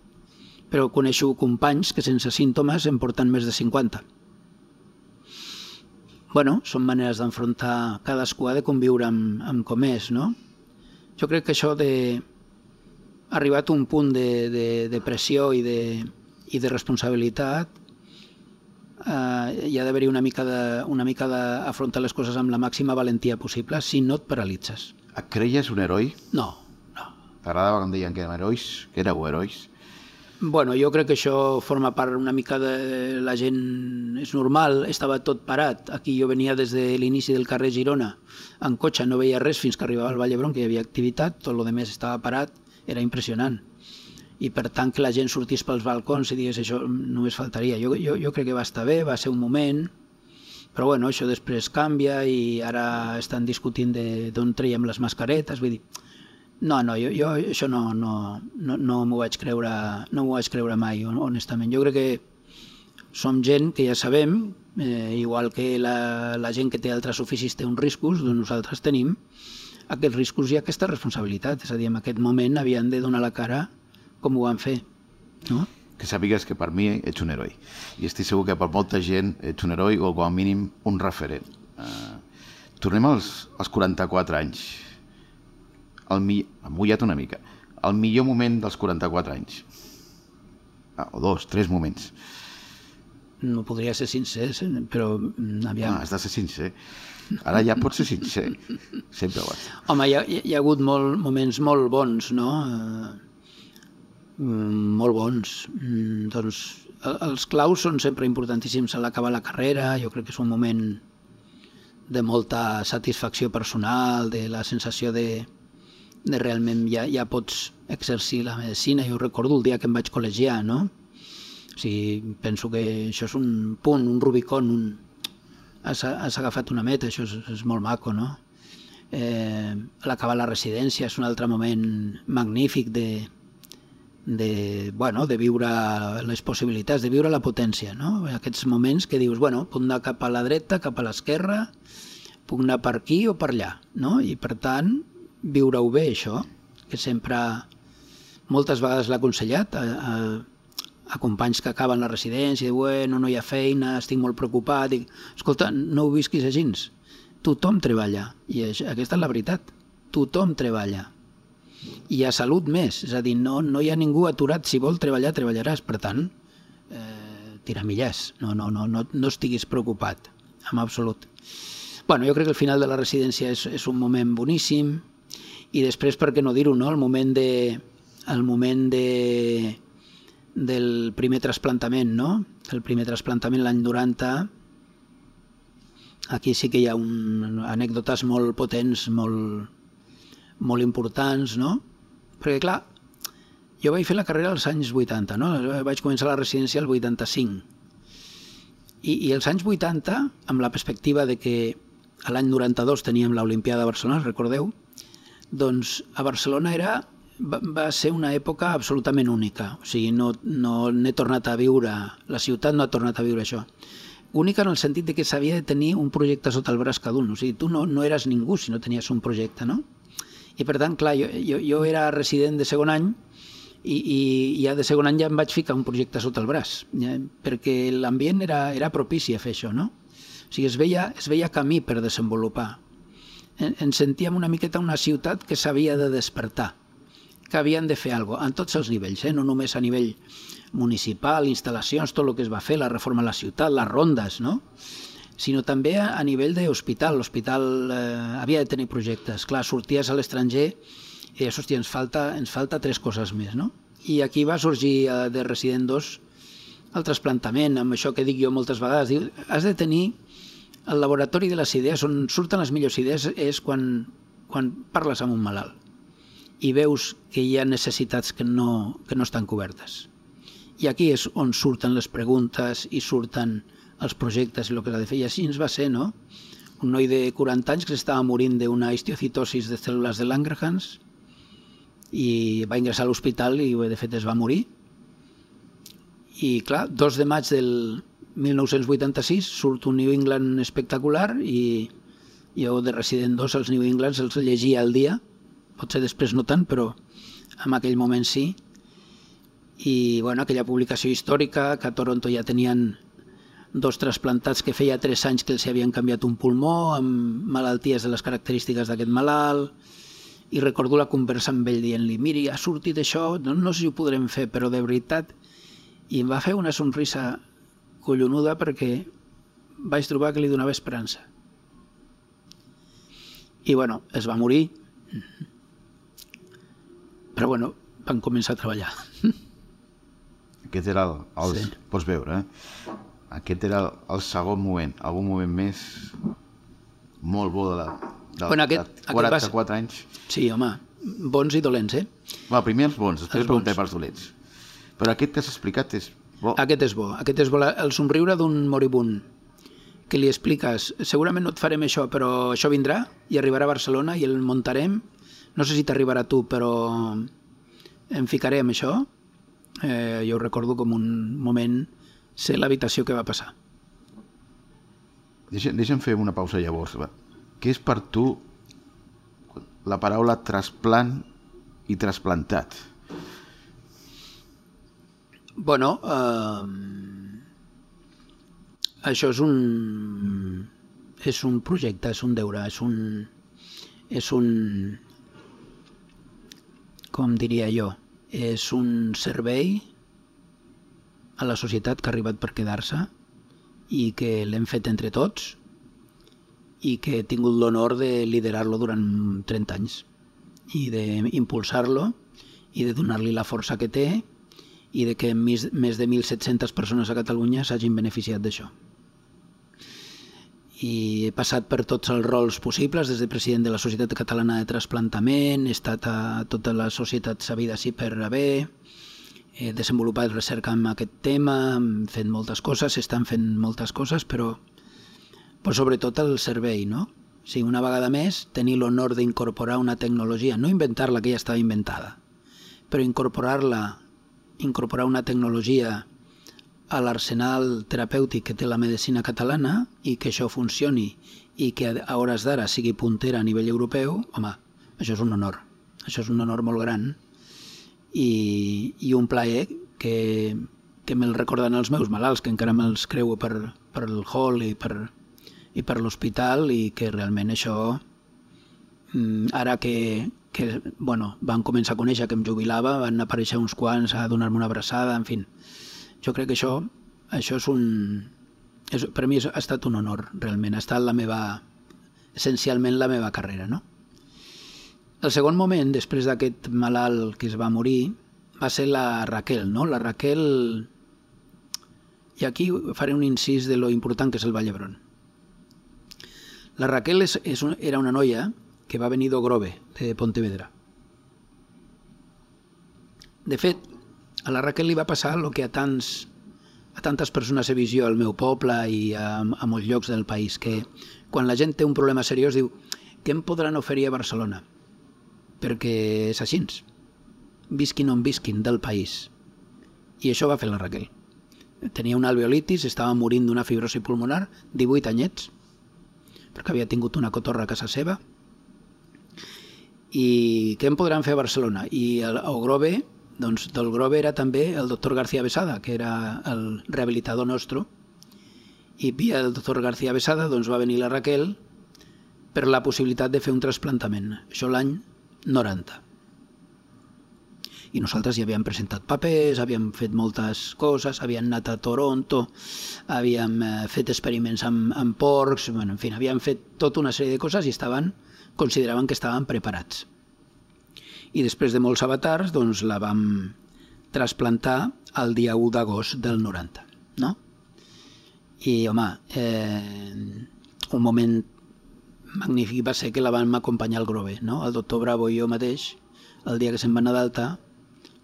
Però coneixo companys que sense símptomes en porten més de cinquanta. Bueno, són maneres d'enfrontar, cadascú ha de conviure amb, amb com és, no? Jo crec que això de... ha arribat a un punt de, de, de pressió i de, i de responsabilitat, eh, hi ha d'haver-hi una mica de, una mica d'afrontar les coses amb la màxima valentia possible, si no et paralitzes. Et creies un heroi? No, no. T'agradava quan deien que érem herois? Que éreu herois? Bueno, jo crec que això forma part una mica de la gent... És normal, estava tot parat. Aquí jo venia des de l'inici del carrer Girona, en cotxe, no veia res fins que arribava al Vall d'Hebron, que hi havia activitat, tot el més estava parat, era impressionant. I per tant que la gent sortís pels balcons i digués això només faltaria. Jo, jo, jo crec que va estar bé, va ser un moment, però bueno, això després canvia i ara estan discutint d'on traiem les mascaretes, vull dir... No, no, jo, jo això no, no, no, no m'ho vaig creure, no m'ho vaig creure mai, honestament. Jo crec que som gent que ja sabem, eh, igual que la, la gent que té altres oficis té uns riscos, doncs nosaltres tenim aquests riscos i aquesta responsabilitat. És a dir, en aquest moment havien de donar la cara com ho van fer, no? Que sàpigues que per mi ets un heroi. I estic segur que per molta gent ets un heroi o com a mínim un referent. Uh, tornem als, als quaranta-quatre anys. El mi... M'he mullat una mica. El millor moment dels quaranta-quatre anys. Ah, o dos, tres moments. No podria ser sincer, però aviam... Ah, has de ser sincer. Ara ja pots ser sincer. Sempre ho has. Home, hi ha, hi ha hagut molt, moments molt bons, no? Uh, molt bons. Mm, doncs els claus són sempre importantíssims a l'acabar la carrera. Jo crec que és un moment de molta satisfacció personal, de la sensació de... de realment ja, ja pots exercir la medicina. Jo recordo el dia que em vaig col·legiar, no? O sigui, penso que això és un punt, un Rubicon, un... Has, has agafat una meta, això és, és molt maco, no? Eh, l'acabar la residència és un altre moment magnífic de, de, bueno, de viure les possibilitats, de viure la potència, no? Aquests moments que dius, bueno, puc anar cap a la dreta, cap a l'esquerra, puc anar per aquí o per allà, no? I per tant, viure-ho bé, això, que sempre, moltes vegades l'ha aconsellat a, a, a companys que acaben la residència, i bueno, no hi ha feina, estic molt preocupat, dic, escolta, no ho visquis així, tothom treballa, i aquesta és la veritat, tothom treballa, i hi ha salut més, és a dir, no, no hi ha ningú aturat, si vol treballar, treballaràs, per tant, eh, tira millars, no, no, no, no, no estiguis preocupat, en absolut. Bueno, jo crec que el final de la residència és, és un moment boníssim, i després, per què no dir-ho, no? El moment de, el moment de, del primer trasplantament, no? El primer trasplantament l'any noranta, aquí sí que hi ha un, anècdotes molt potents, molt, molt importants, no? Perquè, clar, jo vaig fer la carrera als anys vuitanta, no? Vaig començar la residència al vuitanta-cinc. I, i els anys vuitanta, amb la perspectiva de que a l'any noranta-dos teníem l'Olimpiada de Barcelona, recordeu? Doncs a Barcelona era, va, va ser una època absolutament única. O sigui, no, no n'he tornat a viure, la ciutat no ha tornat a viure això. Única en el sentit de que s'havia de tenir un projecte sota el braç cada un. O sigui, tu no, no eres ningú si no tenies un projecte, no? I per tant, clar, jo, jo, jo era resident de segon any i, i ja de segon any ja em vaig ficar un projecte sota el braç, ja, perquè l'ambient era, era propici a fer això, no? O sigui, es veia, es veia camí per desenvolupar. Ens sentíem una miqueta una ciutat que s'havia de despertar, que havien de fer alguna cosa, en tots els nivells, eh? No només a nivell municipal, instal·lacions, tot el que es va fer, la reforma de la ciutat, les rondes, no? Sinó també a nivell d'hospital. L'hospital eh, havia de tenir projectes. Clar, sorties a l'estranger i deies, hòstia, ens falta, ens falta tres coses més, no? I aquí va sorgir eh, de Resident dos el trasplantament, amb això que dic jo moltes vegades, diu, has de tenir el laboratori de les idees, on surten les millors idees, és quan, quan parles amb un malalt i veus que hi ha necessitats que no, que no estan cobertes. I aquí és on surten les preguntes i surten els projectes i el que s'ha de fer. I així ens va ser, no? un noi de quaranta anys que s'estava morint d'una histiocitosis de cèl·lules de Langerhans i va ingressar a l'hospital i de fet es va morir. I clar, dos de maig del mil nou-cents vuitanta-sis surt un New England espectacular i jo de Resident dos els New Englands els llegia al dia, potser després no tant, però en aquell moment sí. I bueno, aquella publicació històrica que a Toronto ja tenien dos trasplantats que feia tres anys que els havien canviat un pulmó amb malalties de les característiques d'aquest malalt, i recordo la conversa amb ell dient-li miri, ha sortit això, no, no sé si ho podrem fer, però de veritat, i em va fer una somrisa collonuda perquè vaig trobar que li donava esperança. I bueno, es va morir, però bueno, van començar a treballar. Aquest era el, el sí. Pots veure, eh? Aquest era el, el segon moment, algun moment més molt bo de la de, bueno, aquest, de quaranta-quatre anys. Sí, home, bons i dolents, eh? Va, primer els bons, després els preguntem pels dolents. Però aquest que has explicat és bo. Aquest és bo, aquest és bo. El somriure d'un moribund que li expliques, segurament no et farem això, però això vindrà i arribarà a Barcelona i el muntarem. No sé si t'arribarà a tu, però em ficaré amb això. Eh, jo ho recordo com un moment, sé l'habitació que va passar. Deixa, deixa'm fer una pausa llavors. Va. Què és per tu la paraula trasplant i trasplantat? Bueno, eh, això és un és un projecte, és un deure, és un és un com diria jo, és un servei a la societat que ha arribat per quedar-se i que l'hem fet entre tots i que he tingut l'honor de liderar-lo durant trenta anys i d'impulsar-lo i de donar-li la força que té i de que més, més de mil set-centes persones a Catalunya s'hagin beneficiat d'això. I he passat per tots els rols possibles, des de president de la Societat Catalana de Trasplantament, he estat a tota la societat sabida sí per haver, he desenvolupat recerca en aquest tema, hem fet moltes coses, s'estan fent moltes coses, però, però sobretot el servei, no? O sigui, una vegada més, tenir l'honor d'incorporar una tecnologia, no inventar-la, que ja estava inventada, però incorporar-la, incorporar una tecnologia a l'arsenal terapèutic que té la medicina catalana i que això funcioni i que a hores d'ara sigui puntera a nivell europeu, home, això és un honor. Això és un honor molt gran i, i un plaer que, que me'l recorden els meus malalts, que encara me'ls creu per, per el hall i per, i per l'hospital i que realment això, ara que, que bueno, van començar a conèixer que em jubilava, van aparèixer uns quants a donar-me una abraçada, en fi. Jo crec que això, això és un... És, per mi ha estat un honor, realment. Ha estat la meva... essencialment la meva carrera, no? El segon moment, després d'aquest malalt que es va morir, va ser la Raquel, no? La Raquel... I aquí faré un incís de lo important que és el Vall d'Hebron. La Raquel és, és un, era una noia que va venir d'Ogrove, de Pontevedra. De fet, a la Raquel li va passar el que a, tants, a tantes persones he vist jo al meu poble i a, a molts llocs del país, que quan la gent té un problema seriós diu què em podran oferir a Barcelona? Perquè és així, visquin on visquin del país. I això va fer la Raquel. Tenia una alveolitis, estava morint d'una fibrosi pulmonar, divuit anyets, perquè havia tingut una cotorra a casa seva. I què em podran fer a Barcelona? I a Grove, doncs del Grove era també el doctor García Besada, que era el rehabilitador nostre, i via el doctor García Besada doncs va venir la Raquel per la possibilitat de fer un trasplantament. Això l'any noranta. I nosaltres ja havíem presentat papers, havíem fet moltes coses, havíem anat a Toronto, havíem fet experiments amb, amb porcs, bueno, en fi, havíem fet tota una sèrie de coses i estaven, consideraven que estaven preparats. I després de molts avatars, doncs la vam trasplantar el dia u d'agost del noranta, no? I, home, eh, un moment magnífic va ser que la vam acompanyar al Grove, no? El doctor Bravo i jo mateix, el dia que se'n va anar d'alta,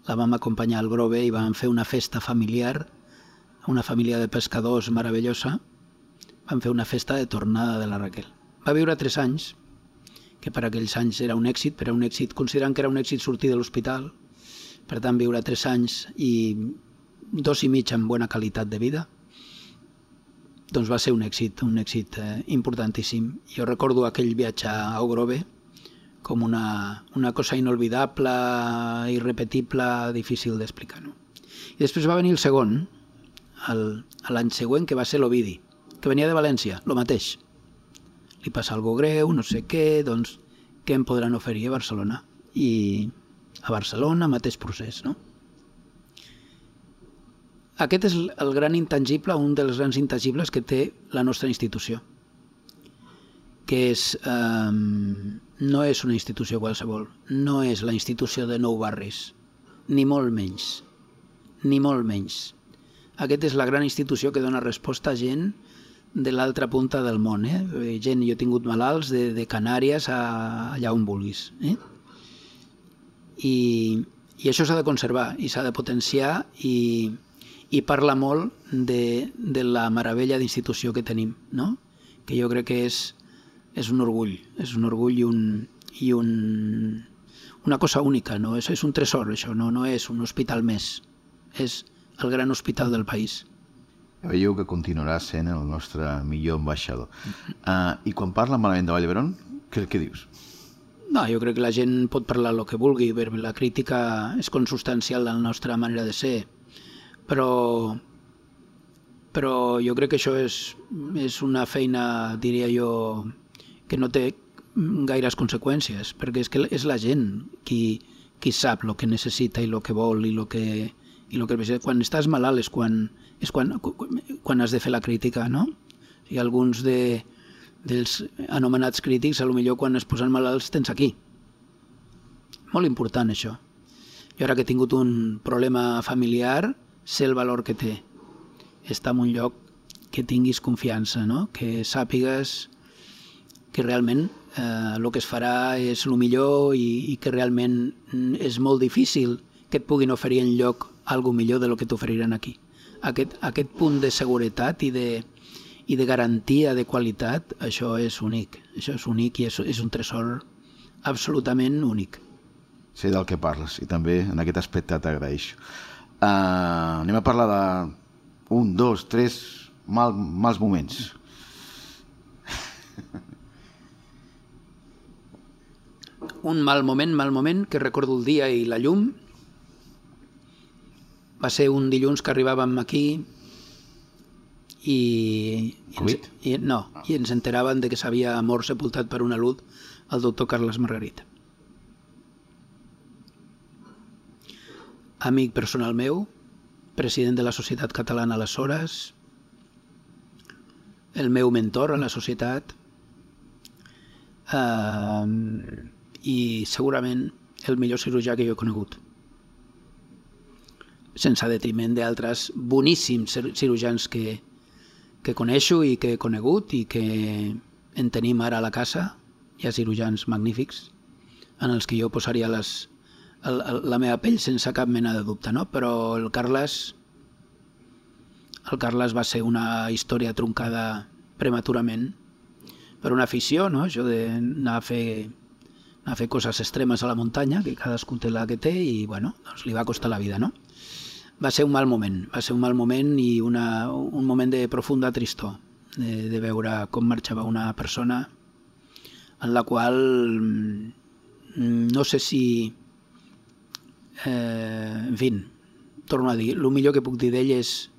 la vam acompanyar al Grove i vam fer una festa familiar, una família de pescadors meravellosa, vam fer una festa de tornada de la Raquel. Va viure tres anys, que per aquells anys era un èxit, però un èxit, considerant que era un èxit sortir de l'hospital, per tant viure tres anys i dos i mig amb bona qualitat de vida, doncs va ser un èxit, un èxit eh, importantíssim. Jo recordo aquell viatge a Ogrove com una, una cosa inolvidable, irrepetible, difícil d'explicar. No? I després va venir el segon, l'any següent, que va ser l'Ovidi, que venia de València, el mateix. Li passa algo greu, no sé què, doncs què em podran oferir a Barcelona? I a Barcelona, mateix procés, no? Aquest és el gran intangible, un dels grans intangibles que té la nostra institució, que és, eh, no és una institució qualsevol, no és la institució de Nou Barris, ni molt menys, ni molt menys. Aquesta és la gran institució que dona resposta a gent de l'altra punta del món. Eh? Gent, jo he tingut malalts de, de Canàries a allà on vulguis. Eh? I, I això s'ha de conservar i s'ha de potenciar i, i parla molt de, de la meravella d'institució que tenim, no? Que jo crec que és, és un orgull, és un orgull i, un, i un, una cosa única, no? És, és un tresor, això, no, no és un hospital més, és el gran hospital del país. Veieu que continuarà sent el nostre millor ambaixador. Uh, I quan parla malament de Vall d'Hebron, què, què dius? No, jo crec que la gent pot parlar el que vulgui, però la crítica és consubstancial de la nostra manera de ser, però, però jo crec que això és, és una feina, diria jo, que no té gaires conseqüències, perquè és que és la gent qui, qui sap el que necessita i el que vol i el que... I lo que quan estàs malalt és quan, és quan, quan has de fer la crítica, no? I alguns de, dels anomenats crítics, a lo millor quan es posen malalts tens aquí. Molt important això. Jo ara que he tingut un problema familiar, sé el valor que té. Estar en un lloc que tinguis confiança, no? Que sàpigues que realment eh, el que es farà és el millor i, i que realment és molt difícil que et puguin oferir en lloc algo millor de lo que t'oferiran aquí. Aquest, aquest punt de seguretat i de, i de garantia de qualitat, això és únic. Això és únic i és, és un tresor absolutament únic. Sé del que parles i també en aquest aspecte t'agraeixo. Uh, anem a parlar de un, dos, tres mal, mals moments. Un mal moment, mal moment, que recordo el dia i la llum. Va ser un dilluns que arribàvem aquí i, i, ens, i, no, i ens enteraven de que s'havia mort sepultat per una luz el doctor Carles Margarita. Amic personal meu, president de la Societat Catalana aleshores, el meu mentor a la societat eh, i segurament el millor cirurgià que jo he conegut, sense detriment d'altres boníssims cirurgians que, que coneixo i que he conegut i que en tenim ara a la casa. Hi ha cirurgians magnífics en els que jo posaria les, el, el, la meva pell sense cap mena de dubte, no? Però el Carles, el Carles va ser una història truncada prematurament per una afició, no? Això d'anar a fer, anar a fer coses extremes a la muntanya, que cadascú té la que té i bueno, doncs li va costar la vida, no? Va ser un mal moment, va ser un mal moment i una, un moment de profunda tristor, de, de veure com marxava una persona en la qual no sé si, eh, en fi, torno a dir, el millor que puc dir d'ell és,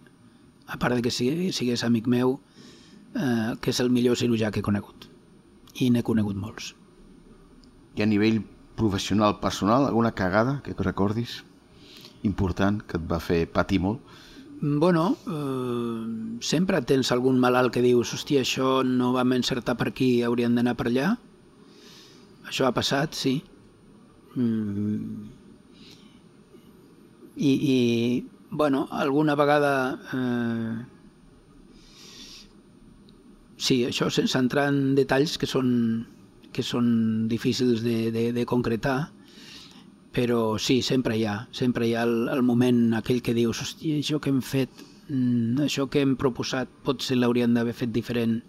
a part de que sigués amic meu, eh, que és el millor cirurgià que he conegut, i n'he conegut molts. I a nivell professional, personal, alguna cagada que recordis? Important, que et va fer patir molt? Bueno, eh, sempre tens algun malalt que dius hòstia, això no vam encertar per aquí, hauríem d'anar per allà. Això ha passat, sí. Mm. I, i, bueno, alguna vegada... Eh, sí, això sense entrar en detalls que són, que són difícils de, de, de concretar, però sí, sempre hi ha, sempre hi ha el, el moment aquell que dius, hòstia, això que hem fet, això que hem proposat, potser l'hauríem d'haver fet diferent.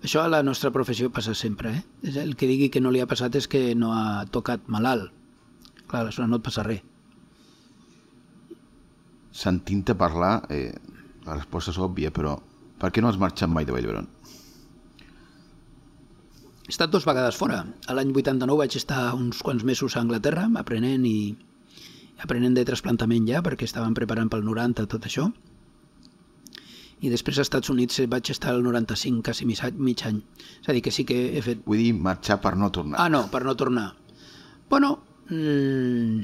Això a la nostra professió passa sempre, eh? El que digui que no li ha passat és que no ha tocat malalt. Clar, aleshores no et passa res. Sentint-te parlar, eh, la resposta és òbvia, però per què no has marxat mai de Vall d'Hebron? He estat dues vegades fora. A l'any vuitanta-nou vaig estar uns quants mesos a Anglaterra aprenent i aprenent de trasplantament ja, perquè estaven preparant pel noranta tot això. I després als Estats Units vaig estar al noranta-cinc, quasi mig any. És a dir, que sí que he fet... Vull dir, marxar per no tornar. Ah, no, per no tornar. Bueno, mmm,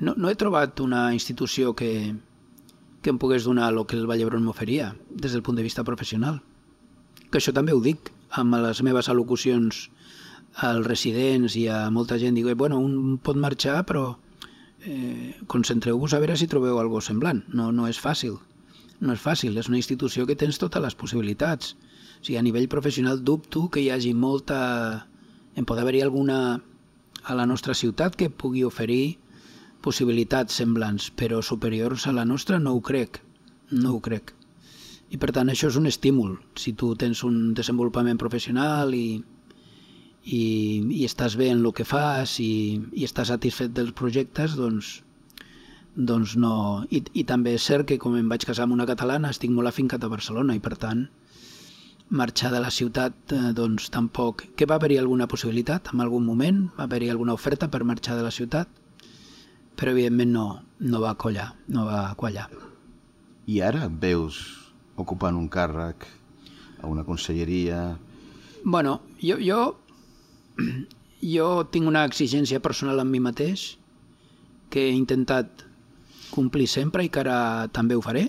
no, no he trobat una institució que, que em pogués donar el que el Vall d'Hebron m'oferia, des del punt de vista professional. Que això també ho dic amb les meves al·locucions als residents i a molta gent. Dic, bueno, un pot marxar, però... Eh, concentreu-vos a veure si trobeu alguna cosa semblant. No, no és fàcil. No és fàcil. És una institució que tens totes les possibilitats. O sigui, a nivell professional dubto que hi hagi molta... En pot haver-hi alguna a la nostra ciutat que pugui oferir possibilitats semblants, però superiors a la nostra no ho crec. No ho crec. I per tant això és un estímul. Si tu tens un desenvolupament professional i I, i estàs bé en el que fas i, i estàs satisfet dels projectes, doncs, doncs no... I, I també és cert que com em vaig casar amb una catalana estic molt afincat a Barcelona i per tant marxar de la ciutat eh, doncs tampoc... Que va haver-hi alguna possibilitat en algun moment, va haver-hi alguna oferta per marxar de la ciutat, però evidentment no, no va collar, no va quallar. I ara et veus ocupant un càrrec a una conselleria? Bueno, jo... jo Jo tinc una exigència personal amb mi mateix que he intentat complir sempre i que ara també ho faré.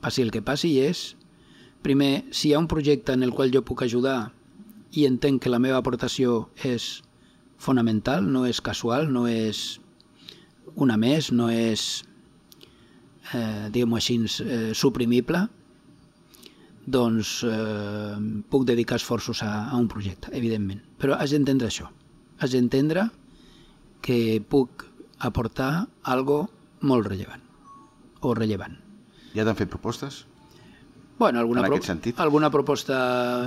Passi el que passi, i és, primer, si hi ha un projecte en el qual jo puc ajudar i entenc que la meva aportació és fonamental, no és casual, no és una més, no és, eh, diguem-ho així, eh, suprimible, doncs eh, puc dedicar esforços a, a un projecte, evidentment. Però has d'entendre això. Has d'entendre que puc aportar algo molt rellevant o rellevant. Ja t'han fet propostes? Bueno, alguna, en pro aquest sentit? alguna proposta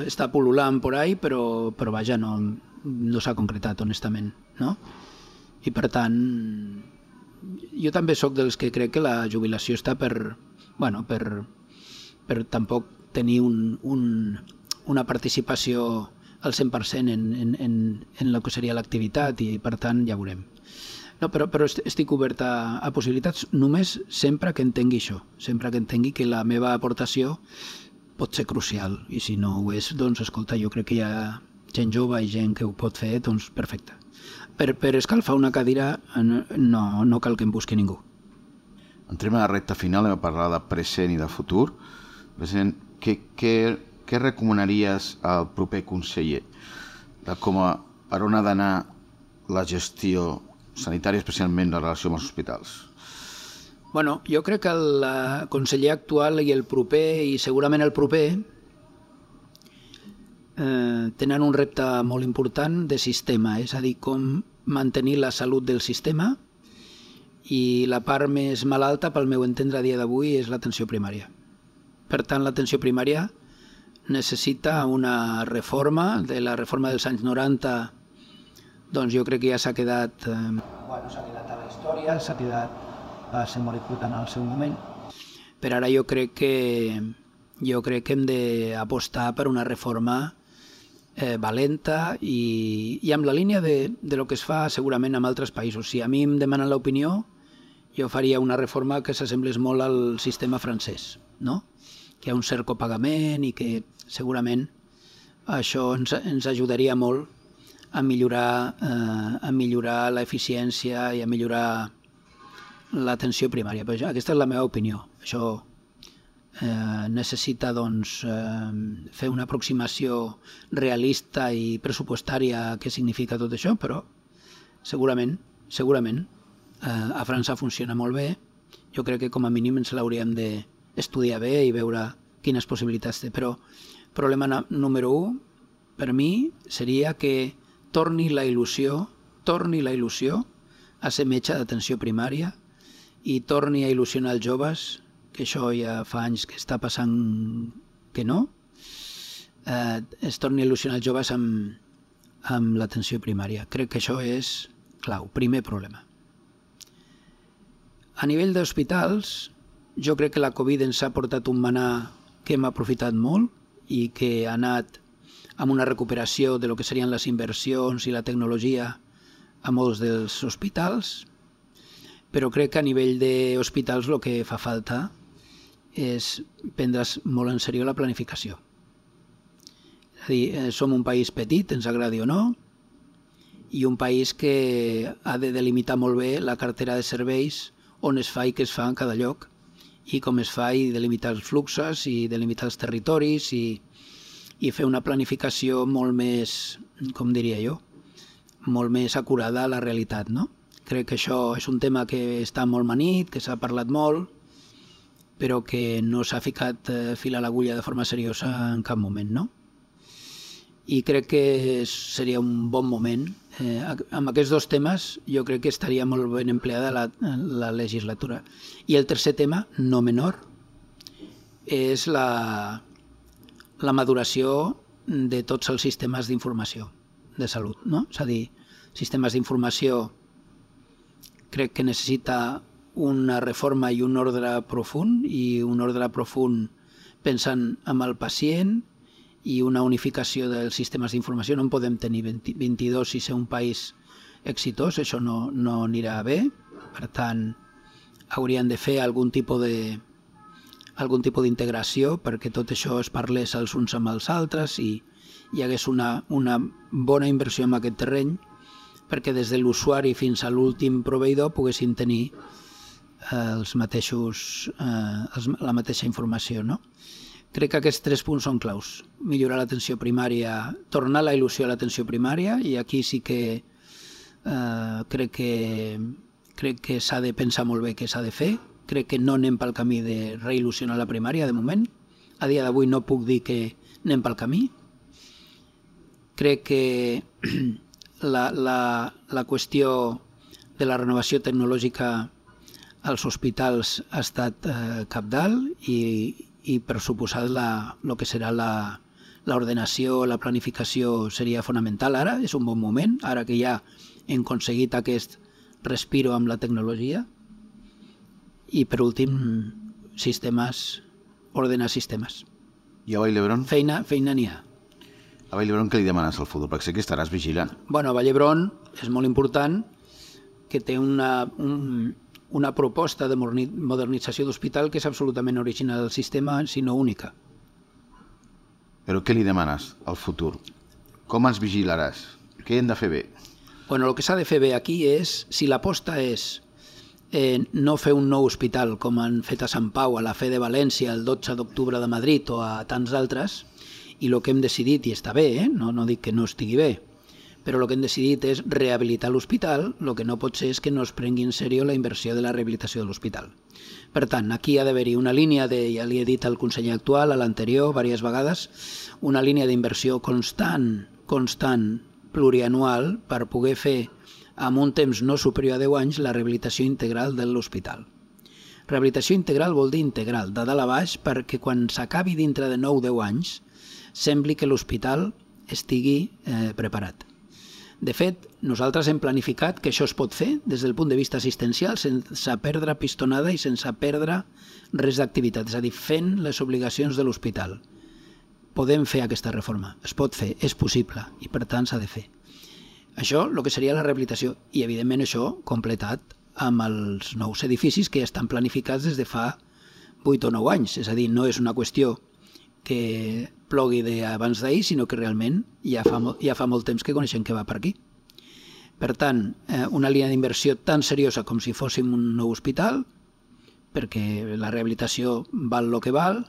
està pul·lulant por ahí, però, però vaja, no, no s'ha concretat, honestament, no? I per tant, jo també sóc dels que crec que la jubilació està per, bueno, per, per tampoc tenir un, un, una participació al cent per cent en, en, en, en el que seria l'activitat i per tant ja veurem. No, però, però estic obert a, a possibilitats només sempre que entengui això, sempre que entengui que la meva aportació pot ser crucial i si no ho és, doncs escolta, jo crec que hi ha gent jove i gent que ho pot fer, doncs perfecte. Per, per escalfar una cadira no, no cal que em busqui ningú. Entrem a la recta final, hem de parlar de present i de futur. President, què, què, què recomanaries al proper conseller de com a, per on ha d'anar la gestió sanitària, especialment la relació amb els hospitals? Bueno, jo crec que el conseller actual i el proper, i segurament el proper, eh, tenen un repte molt important de sistema, és a dir, com mantenir la salut del sistema, i la part més malalta, pel meu entendre a dia d'avui, és l'atenció primària. Per tant, l'atenció primària necessita una reforma, de la reforma dels anys noranta, doncs jo crec que ja s'ha quedat, eh, bueno, s'ha quedat a la història, s'ha quedat, va ser molt important al seu moment. Per ara jo crec que jo crec que hem d'apostar per una reforma eh, valenta i, i amb la línia de, de lo que es fa segurament en altres països. Si a mi em demanen l'opinió, jo faria una reforma que s'assemblés molt al sistema francès, no? Que hi ha un cert copagament i que segurament això ens, ens ajudaria molt a millorar, eh, a millorar l'eficiència i a millorar l'atenció primària. Però aquesta és la meva opinió. Això eh, necessita doncs, eh, fer una aproximació realista i pressupostària a què significa tot això, però segurament, segurament eh, a França funciona molt bé. Jo crec que com a mínim ens l'hauríem d'estudiar bé i veure quines possibilitats té. Però el problema número un per mi seria que torni la il·lusió, torni la il·lusió a ser metge d'atenció primària i torni a il·lusionar els joves, que això ja fa anys que està passant que no, eh, es torni a il·lusionar els joves amb, amb l'atenció primària. Crec que això és clau, primer problema. A nivell d'hospitals, jo crec que la Covid ens ha portat un manà que hem aprofitat molt i que ha anat amb una recuperació de lo que serien les inversions i la tecnologia a molts dels hospitals, però crec que a nivell d'hospitals el que fa falta és prendre's molt en sèrio la planificació. És a dir, som un país petit, ens agradi o no, i un país que ha de delimitar molt bé la cartera de serveis, on es fa i què es fa en cada lloc, i com es fa i delimitar els fluxos i delimitar els territoris i, i fer una planificació molt més, com diria jo, molt més acurada a la realitat, no? Crec que això és un tema que està molt manit, que s'ha parlat molt, però que no s'ha ficat fil a l'agulla de forma seriosa en cap moment, no? I crec que seria un bon moment. Eh, amb aquests dos temes jo crec que estaria molt ben empleada la, la legislatura. I el tercer tema, no menor, és la, la maduració de tots els sistemes d'informació de salut, no? És a dir, sistemes d'informació crec que necessita una reforma i un ordre profund, i un ordre profund pensant en el pacient i una unificació dels sistemes d'informació. No en podem tenir vint-i-dos i ser un país exitós, això no, no anirà bé. Per tant, haurien de fer algun tipus de algun tipus d'integració perquè tot això es parlés els uns amb els altres i hi hagués una, una bona inversió en aquest terreny perquè des de l'usuari fins a l'últim proveïdor poguessin tenir els mateixos, eh, els, la mateixa informació, no? Crec que aquests tres punts són claus. Millorar l'atenció primària, tornar la il·lusió a l'atenció primària, i aquí sí que eh, crec que crec que s'ha de pensar molt bé què s'ha de fer. Crec que no anem pel camí de reil·lusionar la primària de moment. A dia d'avui no puc dir que anem pel camí. Crec que la, la, la qüestió de la renovació tecnològica als hospitals ha estat eh, cabdal i i per suposat el que serà l'ordenació, la planificació seria fonamental ara, és un bon moment, ara que ja hem aconseguit aquest respiro amb la tecnologia. I per últim, sistemes, ordenar sistemes. I a Vall d'Hebron? Feina, feina n'hi ha. A Vall d'Hebron què li demanes al futur? Perquè sé que estaràs vigilant. Bueno, a Vall d'Hebron és molt important que té una... Un, una proposta de modernització d'hospital que és absolutament original del sistema, sinó única. Però què li demanes al futur? Com ens vigilaràs? Què hem de fer bé? Bueno, el que s'ha de fer bé aquí és, si l'aposta és eh, no fer un nou hospital com han fet a Sant Pau, a la Fe de València, el dotze d'octubre de Madrid o a tants altres, i el que hem decidit, i està bé, eh? no, no dic que no estigui bé, però el que hem decidit és rehabilitar l'hospital, el que no pot ser és que no es prengui en sèrio la inversió de la rehabilitació de l'hospital. Per tant, aquí ha d'haver-hi una línia, de, ja li he dit al conseller actual, a l'anterior, diverses vegades, una línia d'inversió constant, constant, plurianual, per poder fer, amb un temps no superior a deu anys, la rehabilitació integral de l'hospital. Rehabilitació integral vol dir integral, de dalt a baix, perquè quan s'acabi dintre de nou o deu anys, sembli que l'hospital estigui eh, preparat. De fet, nosaltres hem planificat que això es pot fer des del punt de vista assistencial sense perdre pistonada i sense perdre res d'activitat, és a dir, fent les obligacions de l'hospital. Podem fer aquesta reforma, es pot fer, és possible i per tant s'ha de fer. Això, el que seria la rehabilitació, i evidentment això completat amb els nous edificis que ja estan planificats des de fa vuit o nou anys, és a dir, no és una qüestió que plogui d'abans d'ahir, sinó que realment ja fa, ja fa molt temps que coneixem què va per aquí. Per tant, eh, una línia d'inversió tan seriosa com si fóssim un nou hospital, perquè la rehabilitació val el que val,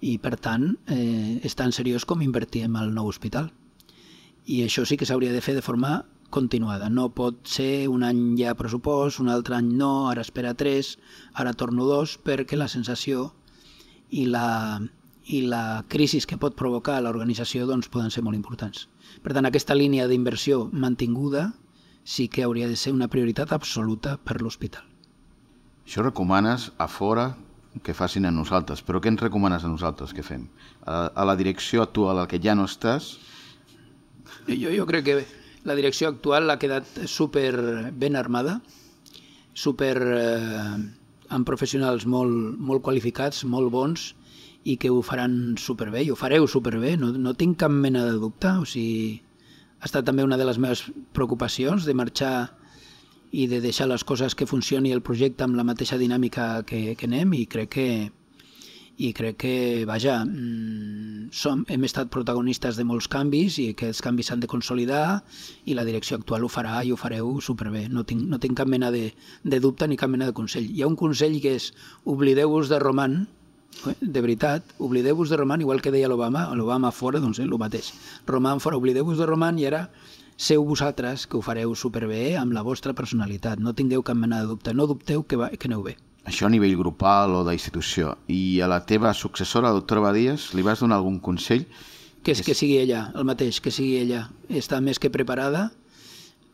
i per tant eh, és tan seriós com invertir en el nou hospital. I això sí que s'hauria de fer de forma continuada. No pot ser un any ja pressupost, un altre any no, ara espera tres, ara torno dos, perquè la sensació i la... i la crisi que pot provocar a l'organització doncs, poden ser molt importants. Per tant, aquesta línia d'inversió mantinguda sí que hauria de ser una prioritat absoluta per l'hospital. Això recomanes a fora que facin a nosaltres, però què ens recomanes a nosaltres que fem? A, a la direcció actual a la que ja no estàs? Jo, jo crec que la direcció actual ha quedat super ben armada, super eh, amb professionals molt, molt qualificats, molt bons, i que ho faran superbé, i ho fareu superbé, no, no tinc cap mena de dubte. O sigui, ha estat també una de les meves preocupacions de marxar i de deixar les coses que funcioni el projecte amb la mateixa dinàmica que, que anem, i crec que, i crec que vaja, som, hem estat protagonistes de molts canvis i aquests canvis s'han de consolidar i la direcció actual ho farà i ho fareu superbé. No tinc, no tinc cap mena de, de dubte ni cap mena de consell. Hi ha un consell que és oblideu-vos de Roman, de veritat, oblideu-vos de Roman, igual que deia l'Obama, l'Obama fora, doncs eh, el mateix. Roman fora, oblideu-vos de Roman i ara seu vosaltres que ho fareu superbé amb la vostra personalitat. No tingueu cap mena de dubte, no dubteu que, va, que aneu bé. Això a nivell grupal o d'institució. I a la teva successora, la doctora Badies, li vas donar algun consell? Que, és, que sigui ella, el mateix, que sigui ella. Està més que preparada,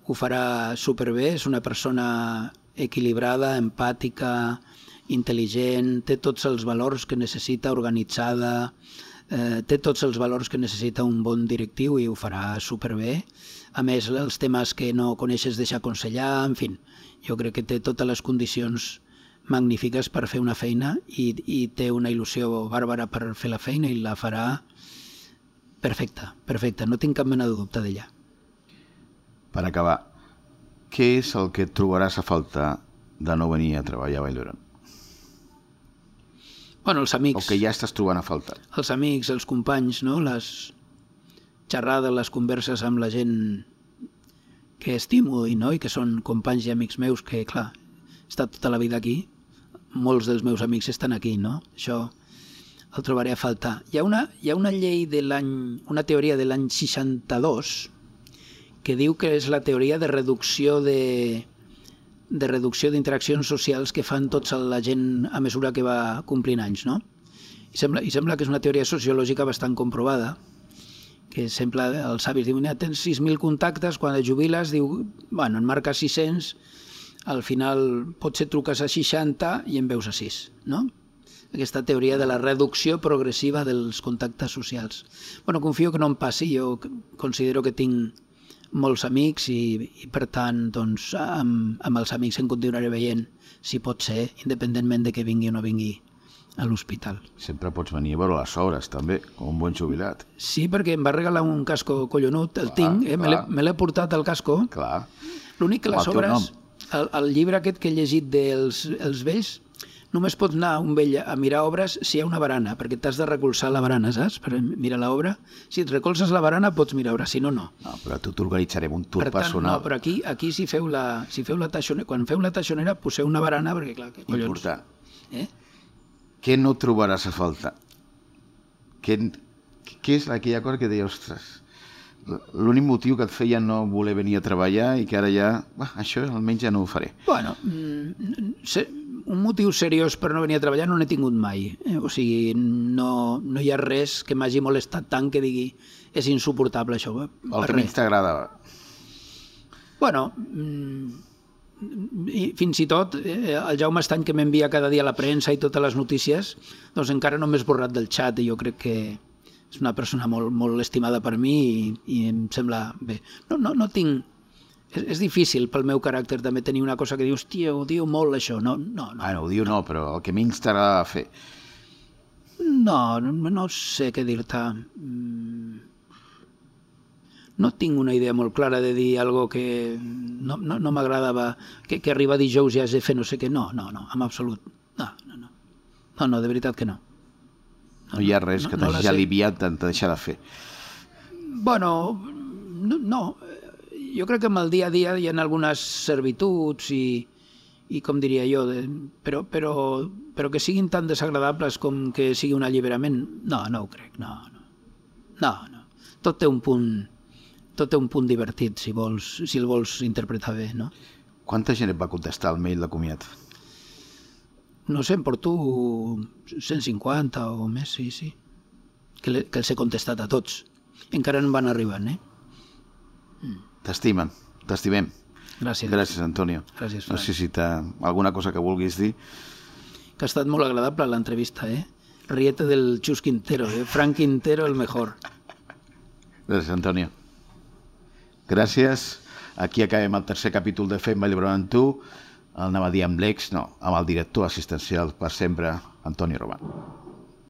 ho farà superbé, és una persona equilibrada, empàtica, intel·ligent, té tots els valors que necessita, organitzada, eh, té tots els valors que necessita un bon directiu i ho farà superbé. A més, els temes que no coneixes deixa aconsellar, en fi, jo crec que té totes les condicions magnífiques per fer una feina i, i té una il·lusió bàrbara per fer la feina i la farà perfecta, perfecta, no tinc cap mena de dubte d'ella. Per acabar, què és el que et trobaràs a faltar de no venir a treballar a Vall d'Hebron? Bueno, els amics. O que ja estàs trobant a faltar? Els amics, els companys, no? Les xerrades, les converses amb la gent que estimo i, no? I que són companys i amics meus que, clar, he estat tota la vida aquí, molts dels meus amics estan aquí, no? Això el trobaré a faltar. Hi ha una, hi ha una llei de l'any, una teoria de l'any seixanta-dos que diu que és la teoria de reducció de, de reducció d'interaccions socials que fan tots la gent a mesura que va complint anys, no? I sembla, i sembla que és una teoria sociològica bastant comprovada, que sembla, els savis diuen, tens sis mil contactes, quan et jubiles, diu, bueno, en marques sis-cents, al final potser truques a seixanta i en veus a sis, no? Aquesta teoria de la reducció progressiva dels contactes socials. Bueno, confio que no em passi, jo considero que tinc molts amics i, i per tant, doncs, amb, amb els amics em continuaré veient, si pot ser, independentment de que vingui o no vingui a l'hospital. Sempre pots venir a veure les obres, també, com un bon jubilat. Sí, perquè em va regalar un casco collonut, el clar, tinc, eh? me l'he portat al casco. Clar. L'únic que les obres, el, el llibre aquest que he llegit dels els vells, només pots anar a un vell a mirar obres si hi ha una barana, perquè t'has de recolzar la barana, saps? Per mirar l'obra. Si et recolzes la barana pots mirar obra, si no, no. No, però tu t'organitzarem un tour per tant, personal. No, però aquí, aquí si feu la, si feu la taixonera, quan feu la taixonera poseu una barana, perquè clar, que collons. Important. Eh? Què no trobaràs a faltar? Què, què és aquella cosa que deia, ostres, l'únic motiu que et feia no voler venir a treballar i que ara ja, bah, això almenys ja no ho faré? Bueno, un motiu seriós per no venir a treballar no n'he tingut mai. Eh? O sigui, no, no hi ha res que m'hagi molestat tant que digui és insuportable això. El que menys t'agradava? Bueno, i fins i tot eh, el Jaume Estany, que m'envia cada dia la premsa i totes les notícies, doncs encara no m'he esborrat del xat i jo crec que és una persona molt, molt estimada per mi i, i em sembla bé. No, no, no tinc... És, és difícil pel meu caràcter també tenir una cosa que dius, tia, ho diu molt això. No, no, no. Ah, no, ho diu no, però el que menys t'agrada fer. No, no, no sé què dir-te. No tinc una idea molt clara de dir algo que no, no, no m'agradava, que, que arriba dijous i has de fer no sé què. No, no, no, en absolut. No, no, no. No, no, de veritat que no. No, no hi ha res no, que t'hagi no aliviat de deixar de fer. Bueno, no, no. Jo crec que amb el dia a dia hi ha algunes servituds i, i com diria jo, de, però, però, però que siguin tan desagradables com que sigui un alliberament, no, no ho crec, no, no. No, no. Tot té un punt, tot té un punt divertit, si vols, si el vols interpretar bé, no? Quanta gent et va contestar al mail de comiat? No sé, em porto cent cinquanta o més, sí, sí. Que, le, que els he contestat a tots. Encara en van arribant, eh? Mm. T'estimen, t'estimem. Gràcies. Gràcies, Antonio. Gràcies, no sé si t'ha alguna cosa que vulguis dir. que ha estat molt agradable l'entrevista, eh? Riete del Chus Quintero, eh? Frank Quintero, el mejor. Gràcies, Antonio. Gràcies. Aquí acabem el tercer capítol de Fem Ball amb tu. El anava a dir amb l'ex, no, amb el director assistencial per sempre, Antoni Roman.